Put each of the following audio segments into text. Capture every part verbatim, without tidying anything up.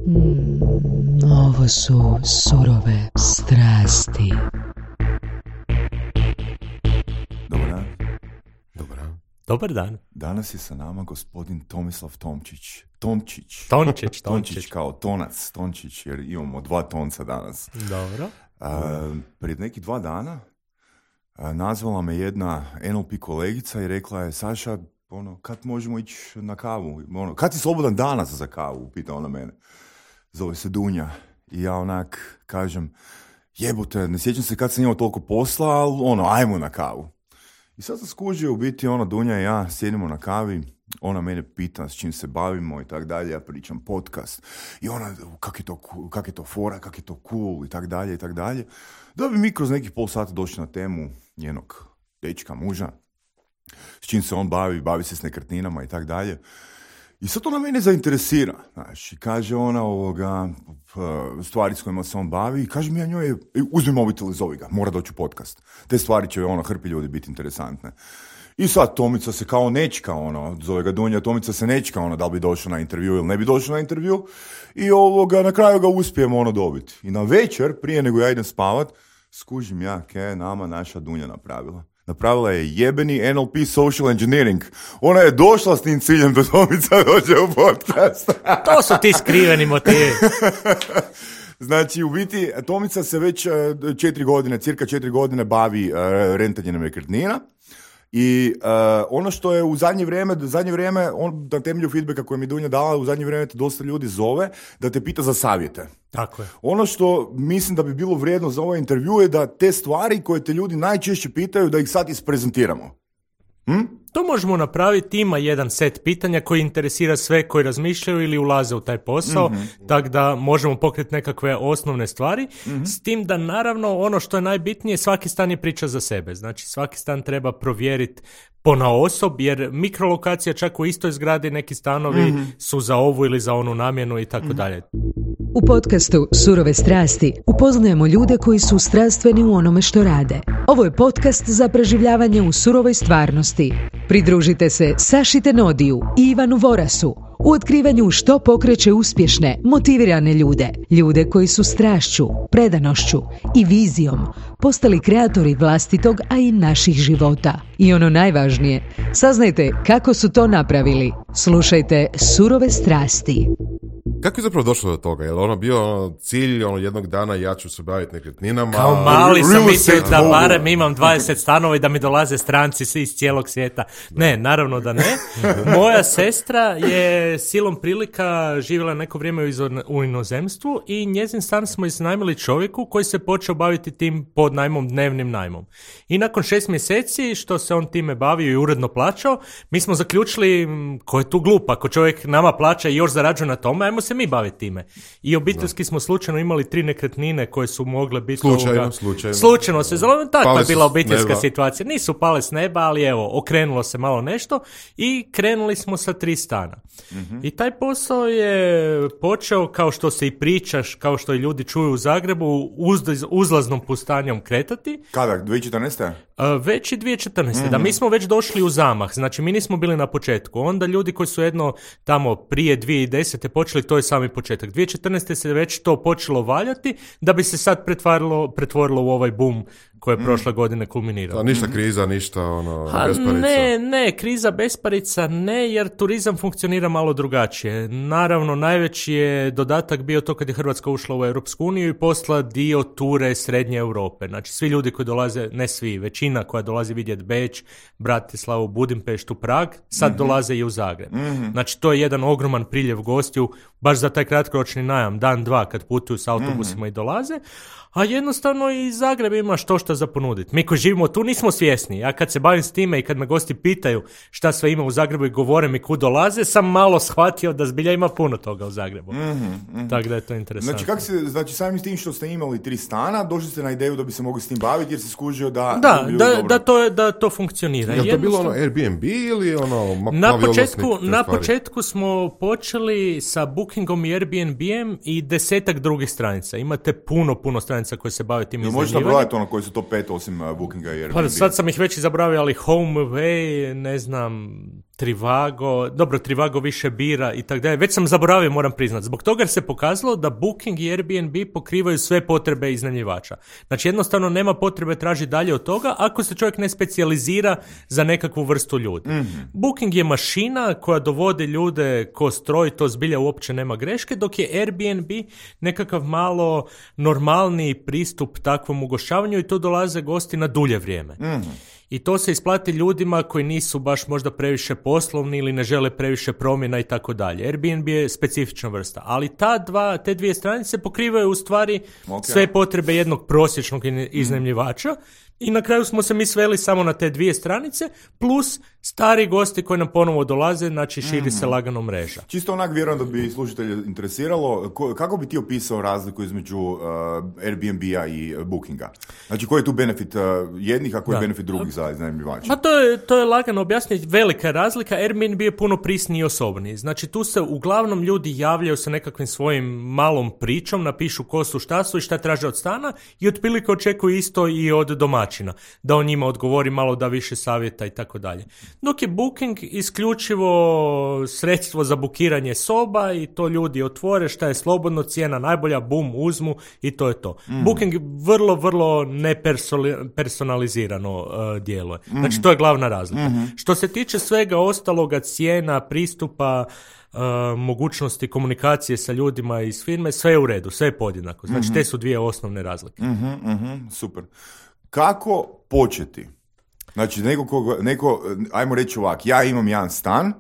Mm, ovo su surove strasti. Dobar dan. Dobar dan. Dobar dan. Danas je sa nama gospodin Tomislav Tomčić. Tončić. Tončić, Tončić Tončić. kao tonac, Tončić, jer imamo dva tonca danas. Dobro. A, prije nekih dva dana a, nazvala me jedna N L P kolegica i rekla je: Saša, ono, kad možemo ići na kavu? Ono, kad si slobodan danas za kavu? Pita ona mene. Zove se Dunja. I ja onak kažem: jebote, ne sjećam se kad sam imao toliko posla, ali ono, ajmo na kavu. I sad sam skužio, u biti ona Dunja i ja sjedimo na kavi, ona mene pita s čim se bavimo i tak dalje, ja pričam podcast. I ona, kak je to, kak je to fora, kak je to cool i tak dalje i tak dalje. Da bi mi kroz nekih pol sata došli na temu njenog dečka, muža, s čim se on bavi, bavi se s nekretninama i tak dalje. I sad ona mene zainteresira, znaš, i kaže ona ovoga, stvari s kojima se on bavi, i kaže mi ja njoj, uzmi mobitel i zovi ga, mora doći u podcast. Te stvari će ona hrpi ljudi biti interesantne. I sad Tomica se kao nečka, ono, zove ga Dunja, Tomica se nečka, ono, da li bi došao na intervju ili ne bi došao na intervju, i ovoga, na kraju ga uspijemo ono dobiti. I na večer, prije nego ja idem spavat, skužim ja, kaj nama naša Dunja napravila. Napravila je jebeni N L P social engineering. Ona je došla s tim ciljem da Tomica dođe u podcast. To su ti skriveni motivi. Znači, u biti, Tomica se već četiri godine, cirka četiri godine bavi uh, rentanjem nekretnina. I uh, ono što je u zadnje vrijeme, zadnje vrijeme on, na temelju feedbacka koje mi Dunja dala, u zadnje vrijeme te dosta ljudi zove da te pita za savjete. Tako je. Ono što mislim da bi bilo vrijedno za ovaj intervju je da te stvari koje te ljudi najčešće pitaju, da ih sad isprezentiramo. Hm? To možemo napraviti, ima jedan set pitanja koji interesira sve koji razmišljaju ili ulaze u taj posao, mm-hmm. tako da možemo pokriti nekakve osnovne stvari, mm-hmm. s tim da naravno ono što je najbitnije, svaki stan je priča za sebe, znači svaki stan treba provjeriti ponaosob, jer mikrolokacija čak u istoj zgradi, neki stanovi mm-hmm. su za ovu ili za onu namjenu i tako dalje. U podcastu Surove strasti upoznajemo ljude koji su strastveni u onome što rade. Ovo je podcast za preživljavanje u surovoj stvarnosti. Pridružite se Saši Tenodiju i Ivanu Vorasu u otkrivanju što pokreće uspješne, motivirane ljude. Ljude koji su strašću, predanošću i vizijom postali kreatori vlastitog, a i naših života. I ono najvažnije, saznajte kako su to napravili. Slušajte Surove strasti. Kako je zapravo došlo do toga? Je li ono bio ono, cilj ono, jednog dana ja ću se baviti nekretninama? Kao mali sam mislio da barem imam dvadeset stanova i da mi dolaze stranci svi iz cijelog svijeta. Ne, naravno da ne. Moja sestra je silom prilika živjela neko vrijeme u inozemstvu i njezin stan smo iznajmili čovjeku koji se počeo baviti tim pod najmom, dnevnim najmom. I nakon šest mjeseci što se on time bavio i uredno plaćao, mi smo zaključili ko je tu glup, ako čovjek nama plaća i još zarađuje na tome, ajmo se mi baviti time. I obiteljski smo slučajno imali tri nekretnine koje su mogle biti... Slučajno, ovoga, slučajno. Slučajno se zove, takva je bila obiteljska neba. situacija. Nisu pale s neba, ali evo, okrenulo se malo nešto i krenuli smo sa tri stana. Mm-hmm. I taj posao je počeo, kao što se i pričaš, kao što i ljudi čuju u Zagrebu, uz, uzlaznom pustanjom kretati. Kada? dvije tisuće četrnaeste? Uh, već i dvije tisuće četrnaeste. Mm-hmm. Da, mi smo već došli u zamah. Znači, mi nismo bili na početku. Onda ljudi koji su jedno tamo prije dvije tisuće desete počeli, to je sami početak. dvije tisuće četrnaeste se već to počelo valjati, da bi se sad pretvorilo, pretvorilo u ovaj boom koje je prošle mm. godine kulminirao. A ništa kriza, ništa ono, ha, besparica? Ne, ne, kriza, besparica ne, jer turizam funkcionira malo drugačije. Naravno, najveći je dodatak bio to kad je Hrvatska ušla u Europsku uniju i posla dio ture Srednje Europe. Znači, svi ljudi koji dolaze, ne svi, većina koja dolazi vidjeti Beč, Bratislavu, Budimpeštu, Prag, sad mm-hmm. dolaze i u Zagreb. Mm-hmm. Znači, to je jedan ogroman priljev gostiju, baš za taj kratkoročni najam, dan, dva, kad putuju s autobusima mm-hmm. i dolaze. A jednostavno i Zagreb ima što šta za ponuditi. Mi koji živimo tu nismo svjesni. Ja kad se bavim s time i kad me gosti pitaju šta sve ima u Zagrebu i govore mi kud dolaze, sam malo shvatio da zbilja ima puno toga u Zagrebu. Mm-hmm, mm-hmm. Tako da je to interesantno. Znači, kako se, znači samim tim što ste imali tri stana, došli ste na ideju da bi se mogli s tim baviti jer se skužio da... Da, da, da, to, da to funkcionira. Je li to bilo ono Airbnb ili ono... Ma, na, početku, na početku smo počeli sa Bookingom i Airbnb-em i desetak drugih stranica. Imate puno, puno stranica koje se bave tim iznajmljivanjem. Možeš nabrojati ono koji su to pet osim uh, Bookinga i Airbnb? Pa sad sam ih već i zaboravio, ali HomeAway, ne znam, Trivago, dobro, Trivago više bira i tako dalje. Već sam zaboravio, moram priznat. Zbog toga se pokazalo da Booking i Airbnb pokrivaju sve potrebe iznajmljivača. Znači, jednostavno nema potrebe tražiti dalje od toga ako se čovjek ne specijalizira za nekakvu vrstu ljudi. Mm-hmm. Booking je mašina koja dovodi ljude ko stroj, to zbilja uopće nema greške, dok je Airbnb nekakav malo normalniji pristup takvom ugošćavanju i to dolaze gosti na dulje vrijeme. Mm-hmm. I to se isplati ljudima koji nisu baš možda previše poslovni ili ne žele previše promjena i tako dalje. Airbnb je specifična vrsta, ali ta dva, te dvije stranice pokrivaju u stvari okay. sve potrebe jednog prosječnog iznajmljivača. Mm. I na kraju smo se mi sveli samo na te dvije stranice, plus stari gosti koji nam ponovo dolaze, znači širi mm-hmm. se lagano mreža. Čisto onak vjerujem da bi slušatelje interesiralo, ko, kako bi ti opisao razliku između uh, Airbnb-a i Bookinga? Znači, koji je tu benefit uh, jednih, a koji je benefit drugih za iznajmljivača? Pa to je, to je lagano objasniti, velika razlika. Airbnb je puno prisniji i osobniji. Znači, tu se uglavnom ljudi javljaju sa nekakvim svojim malom pričom, napišu ko su, šta su i šta traže od stana i otprilike očekuju isto i od domaćina. Da on njima odgovori malo, da više savjeta i tako dalje. Dok je Booking isključivo sredstvo za bukiranje soba i to ljudi otvore, šta je slobodno, cijena najbolja, bum, uzmu i to je to. Mm. Booking vrlo, vrlo nepersonalizirano uh, djeluje. Mm. Znači, to je glavna razlika. Mm-hmm. Što se tiče svega ostaloga, cijena, pristupa, Uh, mogućnosti komunikacije sa ljudima iz firme, sve je u redu, sve je podjednako. Znači, mm-hmm. te su dvije osnovne razlike. Mm-hmm, mm-hmm, super. Kako početi? Znači, neko, koga, neko, ajmo reći ovak, ja imam jedan stan.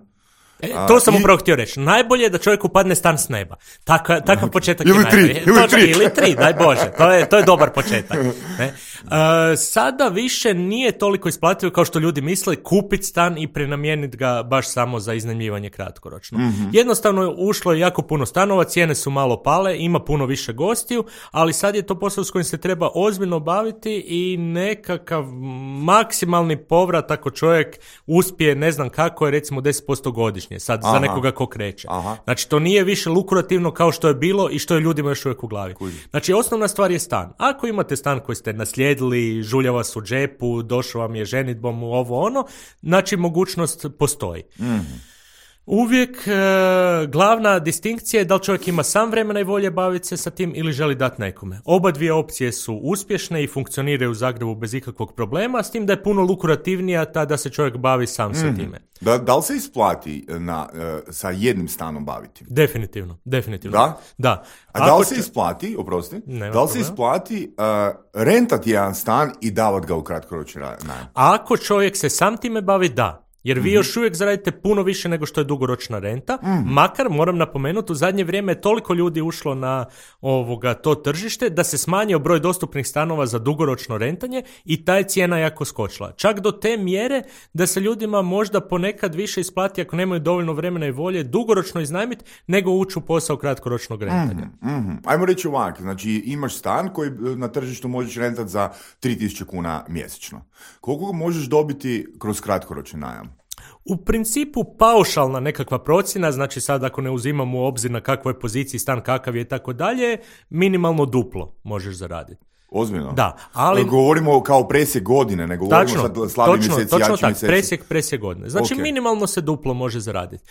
E, to sam upravo i... htio reći. Najbolje je da čovjek upadne stan s neba. Taka, takav početak ili je tri, najbolje. Ili tri, ili tri, daj Bože. To je, to je dobar početak. Ne? Uh, sada više nije toliko isplativo kao što ljudi misle kupiti stan i prenamijeniti ga baš samo za iznajmljivanje kratkoročno. Mm-hmm. Jednostavno ušlo je jako puno stanova, cijene su malo pale, ima puno više gostiju, ali sad je to posao s kojim se treba ozbiljno baviti i nekakav maksimalni povrat ako čovjek uspije, ne znam kako je, recimo deset posto godišnje, sad Aha. za nekoga ko kreće. Aha. Znači, to nije više lukrativno kao što je bilo i što je ljudima još uvijek u glavi. Kuži. Znači, osnovna stvar je stan. Ako imate stan koji ste naslijedili, žulja vas u džepu, došao vam je ženidbom u ovo ono, znači mogućnost postoji. Mm-hmm. Uvijek e, glavna distinkcija je da li čovjek ima sam vremena i volje baviti se sa tim ili želi dati nekome. Oba dvije opcije su uspješne i funkcioniraju u Zagrebu bez ikakvog problema, s tim da je puno lukrativnija ta da se čovjek bavi sam mm. sa time. Da, da li se isplati na, uh, sa jednim stanom baviti? Definitivno, definitivno. Da? Da. A Ako da li se isplati, oprosti, da li problema. se isplati uh, rentati jedan stan i davati ga u kratkoročni najam? Ako čovjek se sam time bavi, da. Jer vi mm-hmm. još uvijek zaradite puno više nego što je dugoročna renta, mm. makar, moram napomenuti, u zadnje vrijeme je toliko ljudi ušlo na ovoga to tržište da se smanjio broj dostupnih stanova za dugoročno rentanje i ta je cijena jako skočila. Čak do te mjere da se ljudima možda ponekad više isplati ako nemaju dovoljno vremena i volje dugoročno iznajmiti nego ući u posao kratkoročnog rentanja. Mm-hmm. Mm-hmm. Ajmo reći ovak, znači imaš stan koji na tržištu možeš rentati za tri tisuće kuna mjesečno. Koliko možeš dobiti kroz kratkoročni najam? U principu paušalna nekakva procjena, znači sad ako ne uzimamo u obzir na kakvoj poziciji stan, kakav je i tako dalje, minimalno duplo možeš zaraditi. Ozbiljno? Da, ali... Govorimo kao presjek godine, ne govorimo tačno, sad slabi točno, mjeseci, točno jači tak, mjeseci. presjek, presjek godine. Znači okay. minimalno se duplo može zaraditi.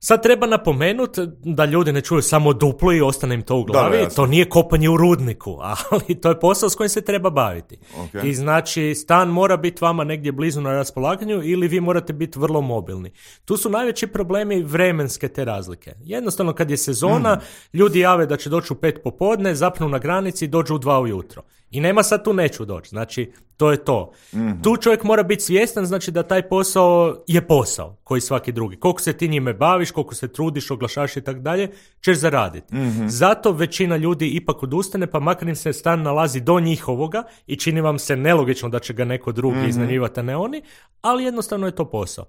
Sad treba napomenuti da ljudi ne čuju samo duplo i ostane im to u glavi. Da, to nije kopanje u rudniku, ali to je posao s kojim se treba baviti. Okay. I znači stan mora biti vama negdje blizu na raspolaganju ili vi morate biti vrlo mobilni. Tu su najveći problemi vremenske te razlike. Jednostavno kad je sezona, mm. ljudi jave da će doći u pet popodne, zapnu na granici i dođu u dva ujutro. I nema sad tu neću doći. Znači, to je to. Mm-hmm. Tu čovjek mora biti svjestan, znači da taj posao je posao, koji svaki drugi. Koliko se ti njime baviš, koliko se trudiš, oglašaš i tako dalje, ćeš zaraditi. Mm-hmm. Zato većina ljudi ipak odustane, pa makar im se stan nalazi do njihovoga i čini vam se nelogično da će ga neko drugi mm-hmm. iznajmljivati, a ne oni, ali jednostavno je to posao.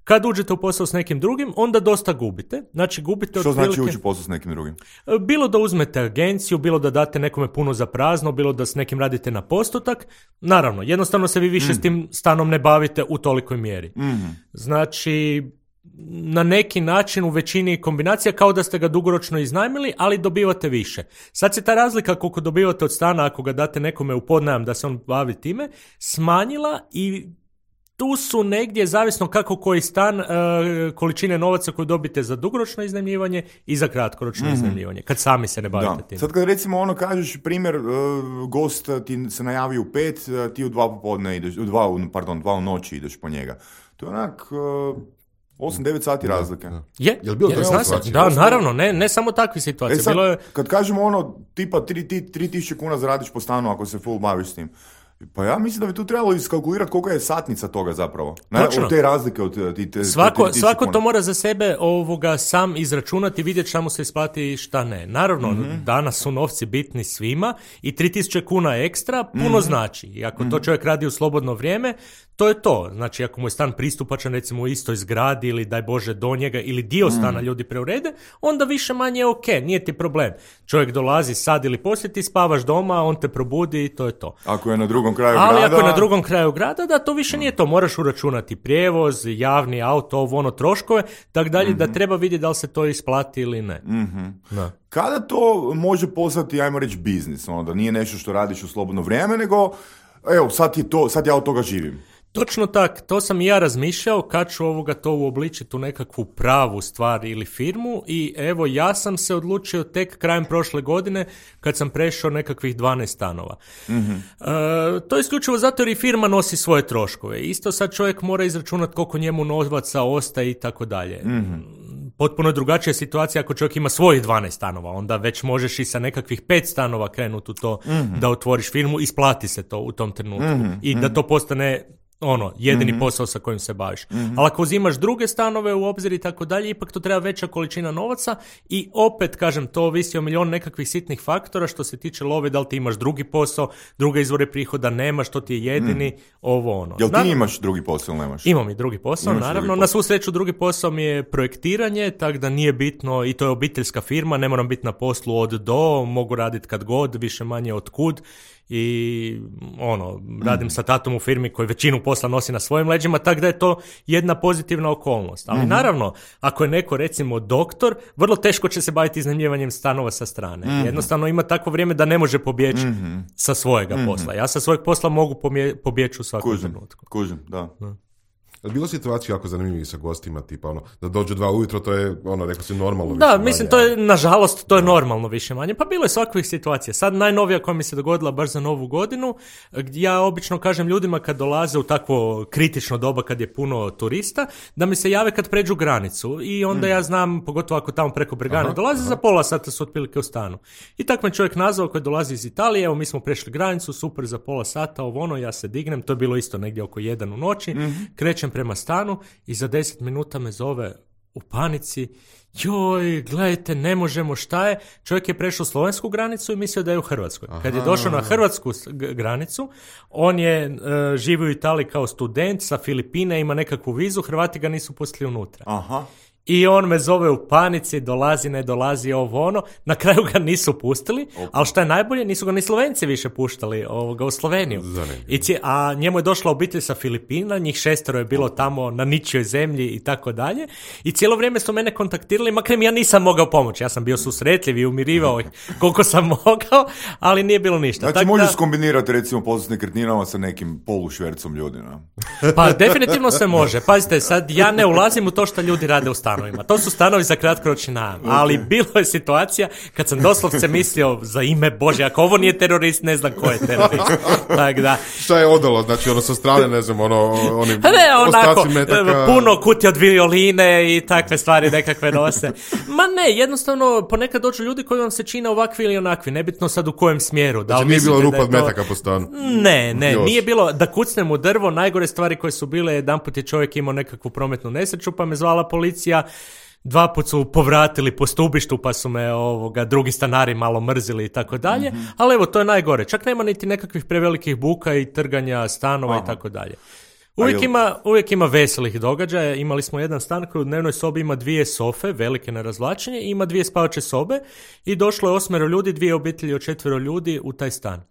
Kad uđete u posao s nekim drugim, onda dosta gubite. Znači, gubite Što otprilike... znači ući u posao s nekim drugim? Bilo da uzmete agenciju, bilo da date nekome puno za prazno, bilo da s nekim radite na postotak. Naravno, jednostavno se vi više mm. s tim stanom ne bavite u tolikoj mjeri. Mm. Znači, na neki način u većini kombinacija kao da ste ga dugoročno iznajmili, ali dobivate više. Sad se ta razlika koliko dobivate od stana ako ga date nekome u podnajam da se on bavi time, smanjila i tu su negdje, zavisno kako koji stan, uh, količine novaca koju dobite za dugoročno iznajmljivanje i za kratkoročno mm-hmm. iznajmljivanje, kad sami se ne bavite tim. Sad kad recimo ono kažeš, primjer, uh, gost ti se najavi u pet, uh, ti u dva popodne ideš, u dva, pardon, dva u noći ideš po njega. To je onak... Uh, osam devet sati razlike. Je, je li bilo je, situacija? Da, naravno, ne, ne samo takve situacije. E sad, bilo je... kad kažemo ono, tipa tri tisuće kuna zaradiš po stanu ako se full baviš s tim, pa ja mislim da bi tu trebalo iskalkulirati koliko je satnica toga zapravo. Ne, od te razlike od ti te, svako, te svako to mora za sebe ovoga sam izračunati i vidjeti šta mu se isplati i šta ne. Naravno, mm-hmm. danas su novci bitni svima i tri tisuće kuna ekstra puno mm-hmm. znači. I ako mm-hmm. to čovjek radi u slobodno vrijeme, to je to. Znači, ako mu je stan pristupačan, recimo u istoj zgradi ili daj Bože do njega ili dio stana mm. ljudi preurede, onda više manje je ok, nije ti problem. Čovjek dolazi sad ili poslije, ti spavaš doma, on te probudi i to je to. Ako je na drugom kraju Ali grada... ako je na drugom kraju grada, da, to više nije to. Moraš uračunati prijevoz, javni auto, ovo ono troškove, tak dalje, mm-hmm. da treba vidjeti da li se to isplati ili ne. Mm-hmm. Da. Kada to može postati, ajmo reći, biznis? Ono, da nije nešto što radiš u slobodno vrijeme, nego, evo, sad, je to, sad ja od toga živim. Točno tak, to sam i ja razmišljao kad ću ovoga to uobličiti u nekakvu pravu stvar ili firmu i evo ja sam se odlučio tek krajem prošle godine kad sam prešao nekakvih dvanaest stanova. Mm-hmm. E, to je isključivo zato jer i firma nosi svoje troškove. Isto sad čovjek mora izračunati koliko njemu novaca ostaje i tako dalje. Potpuno drugačija situacija ako čovjek ima svojih dvanaest stanova, onda već možeš i sa nekakvih pet stanova krenuti u to mm-hmm. da otvoriš firmu, isplati se to u tom trenutku mm-hmm. i da to postane ono, jedini mm-hmm. posao sa kojim se baviš. Mm-hmm. Ali ako uzimaš druge stanove u obzir i tako dalje, ipak to treba veća količina novaca i opet, kažem, to ovisi o milion nekakvih sitnih faktora što se tiče love, da li ti imaš drugi posao, druge izvore prihoda nemaš, to ti je jedini, mm. ovo ono. Jel ti naravno, imaš drugi posao ili nemaš? Imam i drugi posao, imaš naravno. Drugi posao. Na svu sreću drugi posao mi je projektiranje, tako da nije bitno, i to je obiteljska firma, ne moram biti na poslu od do, mogu raditi kad god, više manje od kud. I ono, radim mm. sa tatom u firmi koji većinu posla nosi na svojim leđima, tako da je to jedna pozitivna okolnost. Ali mm-hmm. naravno, ako je neko recimo doktor, vrlo teško će se baviti iznajmljivanjem stanova sa strane. Mm-hmm. Jednostavno ima takvo vrijeme da ne može pobjeći mm-hmm. sa svojega mm-hmm. posla. Ja sa svojeg posla mogu pobjeći u svakom trenutku. Kužim, da. da. Je bilo situacija jako zanimljivih sa gostima, tipa ono, da dođu dva ujutro, to je, ono, rekao si, normalno da, više mislim, manje. to je, nažalost, to je normalno više manje. Pa bilo je svakvih situacija. Sad najnovija koja mi se dogodila baš za novu godinu, gdje ja obično kažem ljudima kad dolaze u takvo kritično doba kad je puno turista, da mi se jave kad pređu granicu i onda mm. ja znam, pogotovo ako tamo preko Bregane dolaze, aha. za pola sata su otprilike u stanu. I tako me čovjek nazvao koji dolazi iz Italije, evo mi smo prešli granicu, super, za pola sata, ovo ono, ja se dignem, to je bilo isto negdje oko jedan u noći, mm. krećem prema stanu i za deset minuta me zove u panici, joj, gledajte, ne možemo, šta je? Čovjek je prešao slovensku granicu i mislio da je u Hrvatskoj. Aha. Kad je došao na hrvatsku granicu, on je uh, živio u Italiji kao student sa Filipine, ima nekakvu vizu, Hrvati ga nisu pustili unutra. Aha. I on me zove u panici, dolazi, ne dolazi, ovo ono. Na kraju ga nisu pustili, okay. ali šta je najbolje, nisu ga ni Slovenci više puštali ovoga, u Sloveniju. I ci, a njemu je došla obitelj sa Filipina, njih šestero je bilo tamo na ničijoj zemlji i tako dalje. I cijelo vrijeme su mene kontaktirali, makar mi ja nisam mogao pomoći. Ja sam bio susretljiv i umirivao ih koliko sam mogao, ali nije bilo ništa. Znači tak možeš da... skombinirati recimo posao s nekretninama sa nekim polušvercom ljudi, no? Pa definitivno se može. Pazite, sad ja ne ulazim u to što ljudi rade u stanu. To su stanovi za kratkoročni najam, okay. ali bilo je situacija kad sam doslovce mislio za ime Bože, ako ovo nije terorist, ne znam ko je terorist. Tak da. Šta je odalo? Znači ono sa strane, ne znam, ono, oni ne, onako, ostaci metaka... puno kutija od violine i takve stvari nekakve nose. Ma ne, jednostavno ponekad dođu ljudi koji vam se čine ovakvi ili onakvi, nebitno sad u kojem smjeru. Da, znači nije bilo rupa od metaka po stanu? Ne, ne, Još. nije bilo da kucnem u drvo, najgore stvari koje su bile, jedanput je čovjek imao nekakvu prometnu nesreću pa me zvala policija. Dva put su povratili po stubištu pa su me ovoga, drugi stanari malo mrzili i tako dalje, mm-hmm. ali evo to je najgore. Čak nema niti nekakvih prevelikih buka i trganja stanova Aha. i tako dalje. Uvijek ima, uvijek ima veselih događaja. Imali smo jedan stan koji u dnevnoj sobi ima dvije sofe, velike na razvlačenje, i ima dvije spavače sobe i došlo je osmero ljudi, dvije obitelji od četvero ljudi u taj stan.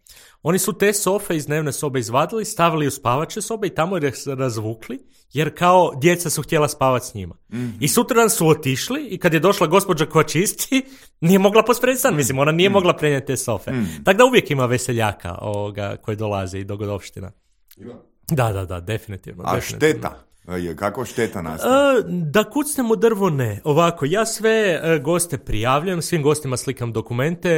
Oni su te sofe iz dnevne sobe izvadili, stavili u spavače sobe i tamo ih razvukli, jer kao djeca su htjela spavati s njima. Mm-hmm. I sutradan su otišli i kad je došla gospođa koja čisti, nije mogla pospremiti stan, mislim, ona nije mm-hmm. mogla prenijeti te sofe. Mm-hmm. Tako da uvijek ima veseljaka ovoga koji dolaze i dogodovština. Ima. Da, da, da, definitivno. A definitivno. šteta? Je, kako šteta nastaje? E, da kucnem u drvo ne. Ovako, ja sve e, goste prijavljujem, svim gostima slikam dokumente,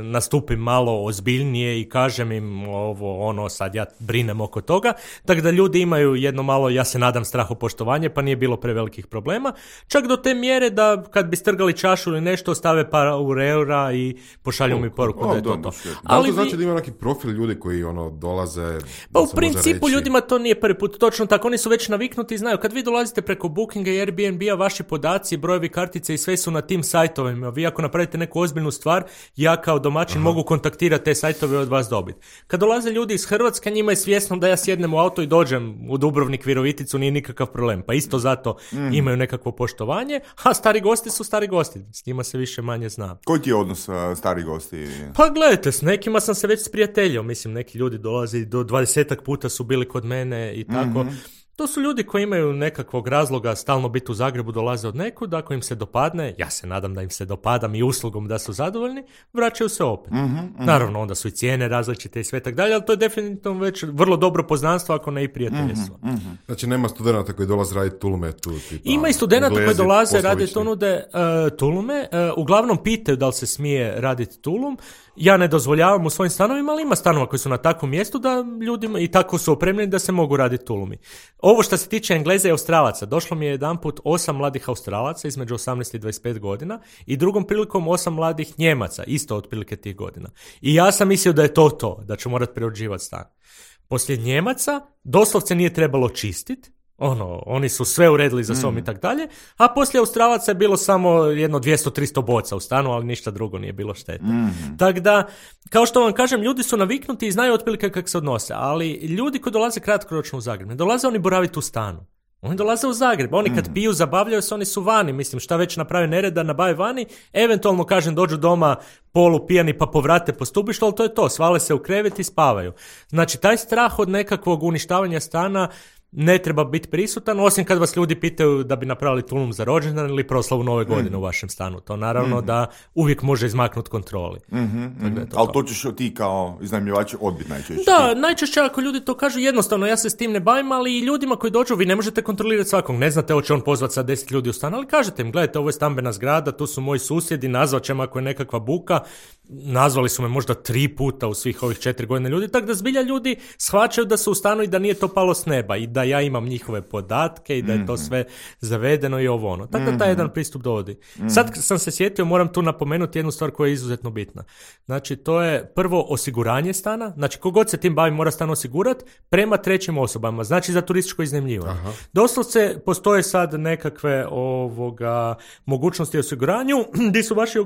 nastupim malo ozbiljnije i kažem im ovo, ono, sad ja brinem oko toga, tako da ljudi imaju jedno malo, ja se nadam, strahopoštovanje, pa nije bilo prevelikih problema. Čak do te mjere da kad bi strgali čašu ili nešto, stave par eura i pošalju mi poruku da je to to. Da li to znači da ima neki profil ljudi koji ono dolaze? Pa u principu ljudima to nije prvi put točno tako, oni su već naviknuti i znaju, kad vi dolazite preko Bookinga i Airbnb-a, vaši podaci, brojevi kartice i sve su na tim sajtovima. Vi ako napravite neku ozbiljnu stvar, ja kao domaćin Aha. mogu kontaktirati te sajtove od vas dobiti. Kad dolaze ljudi iz Hrvatske, njima je svjesno da ja sjednem u auto i dođem u Dubrovnik, Viroviticu, nije nikakav problem. Pa isto zato mm. imaju nekakvo poštovanje, a stari gosti su stari gosti. S njima se više manje zna. Koji ti je odnos uh, stari gosti? Pa gledajte, s nekima sam se već sprijateljio. Mislim, neki ljudi dolaze do dvadesetak puta su bili kod mene i tako. Mm-hmm. To su ljudi koji imaju nekakvog razloga stalno biti u Zagrebu, dolaze od nekud, ako im se dopadne, ja se nadam da im se dopadam i uslugom da su zadovoljni, vraćaju se opet. Mm-hmm, mm-hmm. Naravno, onda su i cijene različite i sve tak dalje, ali to je definitivno već vrlo dobro poznanstvo, ako ne i prijateljstvo. Mm-hmm, mm-hmm. Znači, nema studenata koji dolaze raditi tulume tu? Tipa, ima i studenata koji dolaze raditi tunude, uh, tulume, uh, uglavnom pitaju da li se smije raditi tulum. Ja ne dozvoljavam u svojim stanovima, ali ima stanova koji su na takvom mjestu da ljudima i tako su opremljeni da se mogu raditi tulumi. Ovo što se tiče Engleza i Australaca, došlo mi je jedanput osam mladih Australaca između osamnaest i dvadeset pet godina i drugom prilikom osam mladih Njemaca, isto otprilike tih godina. I ja sam mislio da je to to, da ću morati preuređivati stan. Poslije Njemaca doslovce nije trebalo čistiti, ono, oni su sve uredili za sobom mm. i tak dalje, a poslije Australaca je bilo samo jedno dvjesto do tristo boca u stanu, ali ništa drugo nije bilo štete. Mm. Tako da, kao što vam kažem, ljudi su naviknuti i znaju otprilike kako se odnose, ali ljudi koji dolaze kratkoročno u Zagreb, ne dolaze oni boraviti u stanu. Oni dolaze u Zagreb, oni kad piju, zabavljaju se, oni su vani, mislim, šta već naprave nereda, nabave vani, eventualno, kažem, dođu doma polu pijani pa povrate po stubištu, ali to je to, svale se u krevet i spavaju. Znači, taj strah od nekakvog uništavanja stana ne treba biti prisutan, osim kad vas ljudi pitaju da bi napravili tulum za rođendan ili proslavu nove godine mm. u vašem stanu. To naravno mm. da uvijek može izmaknuti kontroli. Mm-hmm, mm-hmm. To, ali to ćeš ti kao iznajmljivač odbiti najčešće? Da, ti. Najčešće ako ljudi to kažu, jednostavno ja se s tim ne bavim, ali i ljudima koji dođu, vi ne možete kontrolirati svakog. Ne znate hoće on pozvati sa deset ljudi u stan, ali kažete im, gledajte, ovo je stambena zgrada, tu su moji susjedi, nazvat ćemo ako je nekakva buka. Nazvali su me možda tri puta u svih ovih četiri godine ljudi, tako da zbilja ljudi shvaćaju da su u stanu i da nije to palo s neba i da ja imam njihove podatke i da je to sve zavedeno i ovo ono. Tako da taj jedan pristup dovodi. Sad sam se sjetio, moram tu napomenuti jednu stvar koja je izuzetno bitna. Znači, to je prvo osiguranje stana. Znači, kogod se tim bavi mora stan osigurati prema trećim osobama. Znači, za turističko iznajmljivanje. Doslovce postoje sad nekakve ovoga mogućnosti osiguranju gdje su vaši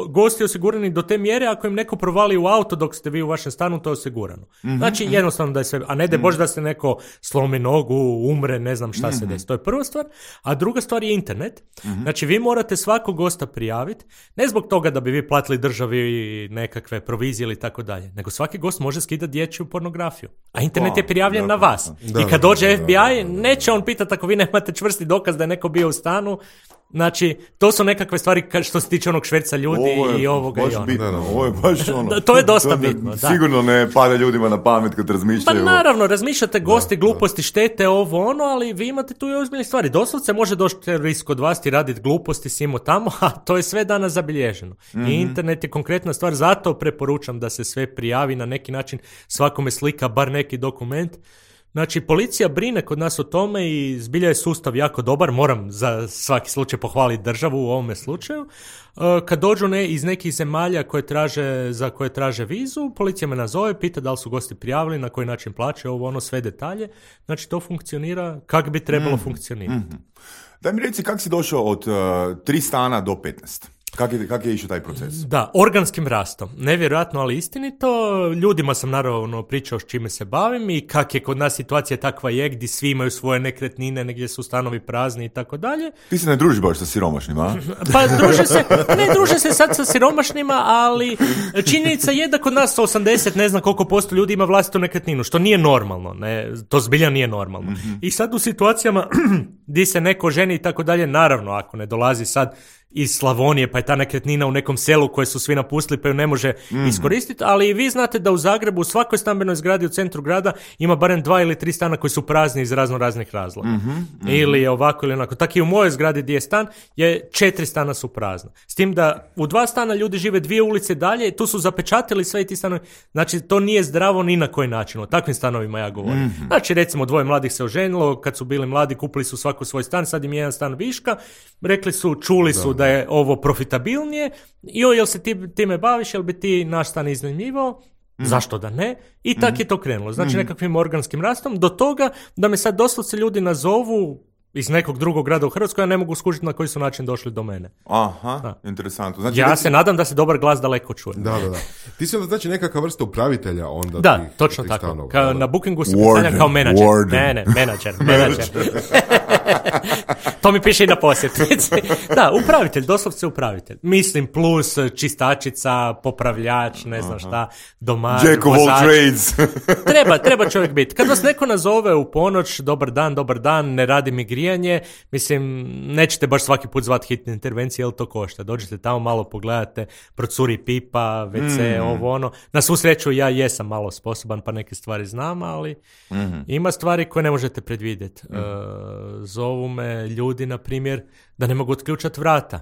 gosti osigurani do te mjere ako im neko provali u auto dok ste vi u vašem stanu, to je osigurano. Mm-hmm. Znači, jednostavno da je sve, a ne da bože da se neko slomi nogu, umre, ne znam šta mm-hmm. se desi. To je prva stvar. A druga stvar je internet. Mm-hmm. Znači, vi morate svakog gosta prijaviti, ne zbog toga da bi vi platili državi nekakve provizije ili tako dalje, nego svaki gost može skidati dječju pornografiju. A internet oh, je prijavljen da, na vas. Da, I kad dođe da, F B I, da, da, neće on pitati ako vi nemate čvrsti dokaz da je neko bio u stanu. Znači, to su nekakve stvari što se tiče onog šverca ljudi i ovoga i onoga. Ovo je baš ono. To je dosta to ne, bitno. Da. Sigurno ne pada ljudima na pamet kad razmišljaju. Pa naravno, razmišljate gosti, da, gluposti, štete, ovo ono, ali vi imate tu i ozbiljne stvari. Doslovce može doći terorist kod vas i raditi gluposti simo tamo, a to je sve danas zabilježeno. Mm-hmm. I internet je konkretna stvar, zato preporučam da se sve prijavi na neki način, svakome slika bar neki dokument. Znači, policija brine kod nas o tome i zbilja je sustav jako dobar, moram za svaki slučaj pohvaliti državu u ovome slučaju. Kad dođu ne, iz nekih zemalja koje traže, za koje traže vizu, policija me nazove, pita da li su gosti prijavili, na koji način plaćaju, ovo ono, sve detalje. Znači, to funkcionira kako bi trebalo mm. funkcionirati. Mm-hmm. Daj mi reci, kako si došao od uh, tri stana do petnaest? Kako je, kak je išao taj proces? Da, organskim rastom. Nevjerojatno, ali istinito. Ljudima sam naravno pričao s čime se bavim i kak je kod nas situacija takva je, gdje svi imaju svoje nekretnine, negdje su stanovi prazni i tako dalje. Ti se ne družiš baš sa siromašnima, a? Pa druže se, ne druže se sad sa siromašnima, ali činjenica je da kod nas osamdeset, ne znam koliko posto ljudi ima vlastitu nekretninu, što nije normalno. Ne, to zbilja nije normalno. Mm-hmm. I sad u situacijama gdje se neko ženi i tako dalje, naravno, ako ne dolazi sad iz Slavonije, pa je ta nekretnina u nekom selu koje su svi napustili pa ju ne može mm. iskoristiti, ali i vi znate da u Zagrebu u svakoj stambenoj zgradi u centru grada ima barem dva ili tri stana koji su prazni iz razno raznih razloga. Mm-hmm, mm-hmm. Ili ovako ili onako. Tako i u mojoj zgradi gdje je stan, je četiri stana su prazna. S tim da u dva stana ljudi žive dvije ulice dalje, tu su zapečatili sve i ti stanovi. Znači, to nije zdravo ni na koji način. O takvim stanovima ja govorim. Mm-hmm. Znači, recimo, dvoje mladih se oženilo, kad su bili mladi, kupili su svako svoj stan, sad im je jedan stan viška, rekli su, čuli su da, da je ovo profitabilnije i o, jel se ti time baviš, jel bi ti naš stan iznajmljivao? Mm. Zašto da ne? I tak mm. je to krenulo. Znači, mm. nekakvim organskim rastom, do toga da me sad doslovce ljudi nazovu iz nekog drugog grada u Hrvatskoj, ja ne mogu skužiti na koji su način došli do mene. Aha, da. Interesantno. Znači, ja već... se nadam da se dobar glas daleko čuje. Da, da, da. Ti si onda znači neka vrsta upravitelja onda da, tih, točno tih tako. stanova. Ka, na Bookingu se predstavljam kao menadžer. Warden. Ne, ne, menadžer, menadžer. To mi piše i na posjetnici. Da, upravitelj, doslovce upravitelj. Mislim, plus čistačica, popravljač, ne znam šta, domar, Jack of all trades. treba, treba čovjek biti. Kad vas neko nazove u ponoć, dobar dan, dobar dan, ne radi mi grijanje, mislim, nećete baš svaki put zvati hitne intervencije, jer to košta. Dođete tamo, malo pogledate, procuri pipa, ve ce, mm. ovo ono. Na svu sreću ja jesam malo sposoban, pa neke stvari znam, ali mm. ima stvari koje ne možete predvidjeti. Mm. Uh, zovu me ljudi, na primjer, da ne mogu otključati vrata.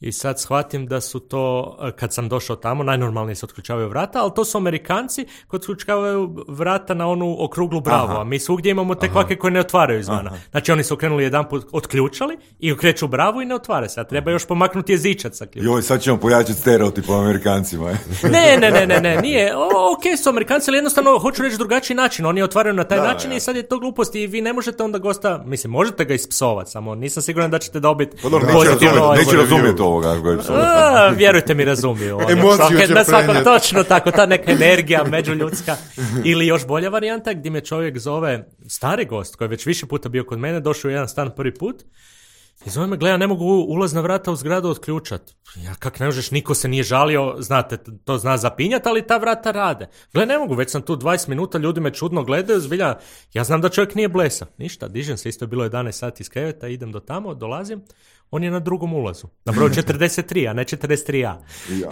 I sad shvatim da su to, kad sam došao tamo, najnormalnije se otključavaju vrata, ali to su Amerikanci koji otključavaju vrata na onu okruglu bravu, aha. a mi svugdje imamo te kvake koje ne otvaraju izvana. Aha. Znači oni su okrenuli jedan put, otključali i okreću bravu i ne otvara se, a treba još pomaknuti jezičac sa ključem. Joj, sad ćemo pojačati stereotip o Amerikancima. ne, ne, ne, ne, ne, nije. O, ok, su Amerikanci, ali jednostavno hoću reći drugačiji način. Oni otvaraju na taj da, način ja. i sad je to glupost i vi ne možete onda gosta, mislim, možete ga ispsovati, samo nisam siguran da ćete dobiti pozitivno. Neće razumjeti ovoga. A, vjerujte mi, razumiju. Na svako točno tako, ta neka energija međuljudska. Ili još bolja varijanta gdje me čovjek zove, stari gost koji je već više puta bio kod mene, došao u jedan stan prvi put i zove me, gleda, ne mogu ulazna vrata u zgradu otključat. Ja, kak ne možeš, niko se nije žalio, znate, to zna zapinjati, ali ta vrata rade. Gle, ne mogu, već sam tu dvadeset minuta, ljudi me čudno gledaju, zbilja, ja znam da čovjek nije blesav. Ništa, dižem se, isto je bilo jedanaest sati iz kreveta, idem do tamo, dolazim. On je na drugom ulazu. Na broju četrdeset tri, a ne četrdeset tri a. Ja.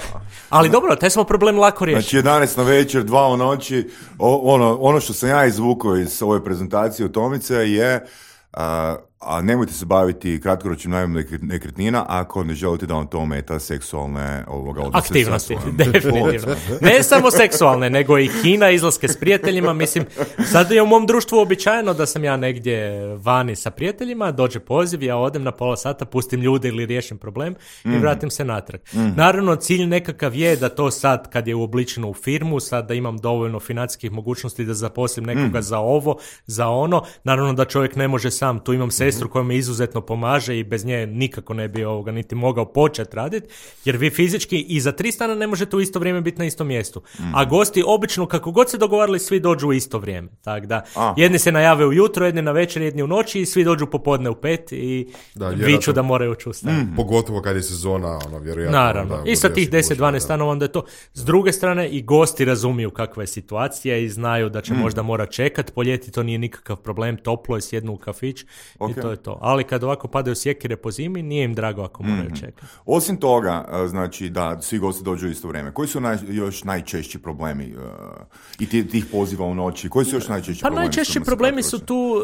Ali dobro, taj smo problem lako riješili. Znači jedanaest na večer, dva u noći. O, ono, ono što sam ja izvukao iz ove prezentacije od Tomice je... A, a nemojte se baviti kratkoročnim najmom nekretnina ako ne želite da vam to ometa seksualne ovoga odnose. Aktivnosti, definitivno. Ne samo seksualne, nego i kina, izlaske s prijateljima. Mislim, sad je u mom društvu običajno da sam ja negdje vani sa prijateljima, dođe poziv, ja odem na pola sata, pustim ljude ili riješim problem i mm-hmm. vratim se natrag. Mm-hmm. Naravno, cilj nekakav je da to sad, kad je uobličeno u firmu, sad da imam dovoljno financijskih mogućnosti da zaposlim nekoga mm-hmm. za ovo, za ono. Naravno da čovjek ne može sam, tu imam sestru koja mi izuzetno pomaže i bez nje nikako ne bi ovoga niti mogao početi raditi, jer vi fizički i za tri stana ne možete u isto vrijeme biti na istom mjestu. Mm. A gosti obično, kako god se dogovarali, svi dođu u isto vrijeme. Tako da, a. jedni se najave ujutro, jedni na večer, jedni u noći i svi dođu popodne u pet i da, viču da moraju ući u stan. Mm. Pogotovo kad je sezona, ono, vjerojatno. Naravno. I sa tih deset dvanaest stanova onda je to. S druge strane, i gosti razumiju kakva je situacija i znaju da će mm. možda mora čekat. Po ljeti to nije nikakav problem, toplo je, sjednu u kafić okay. i to je to. Ali kad ovako padaju sjekire po zimi, nije im drago ako moraju mm-hmm. čekati. Osim toga, znači da svi gosti dođu u isto vrijeme. Koji su naj, još najčešći problemi uh, i tih, tih poziva u noći? Koji su još najčešći pa problemi? Pa najčešći problemi su tu uh,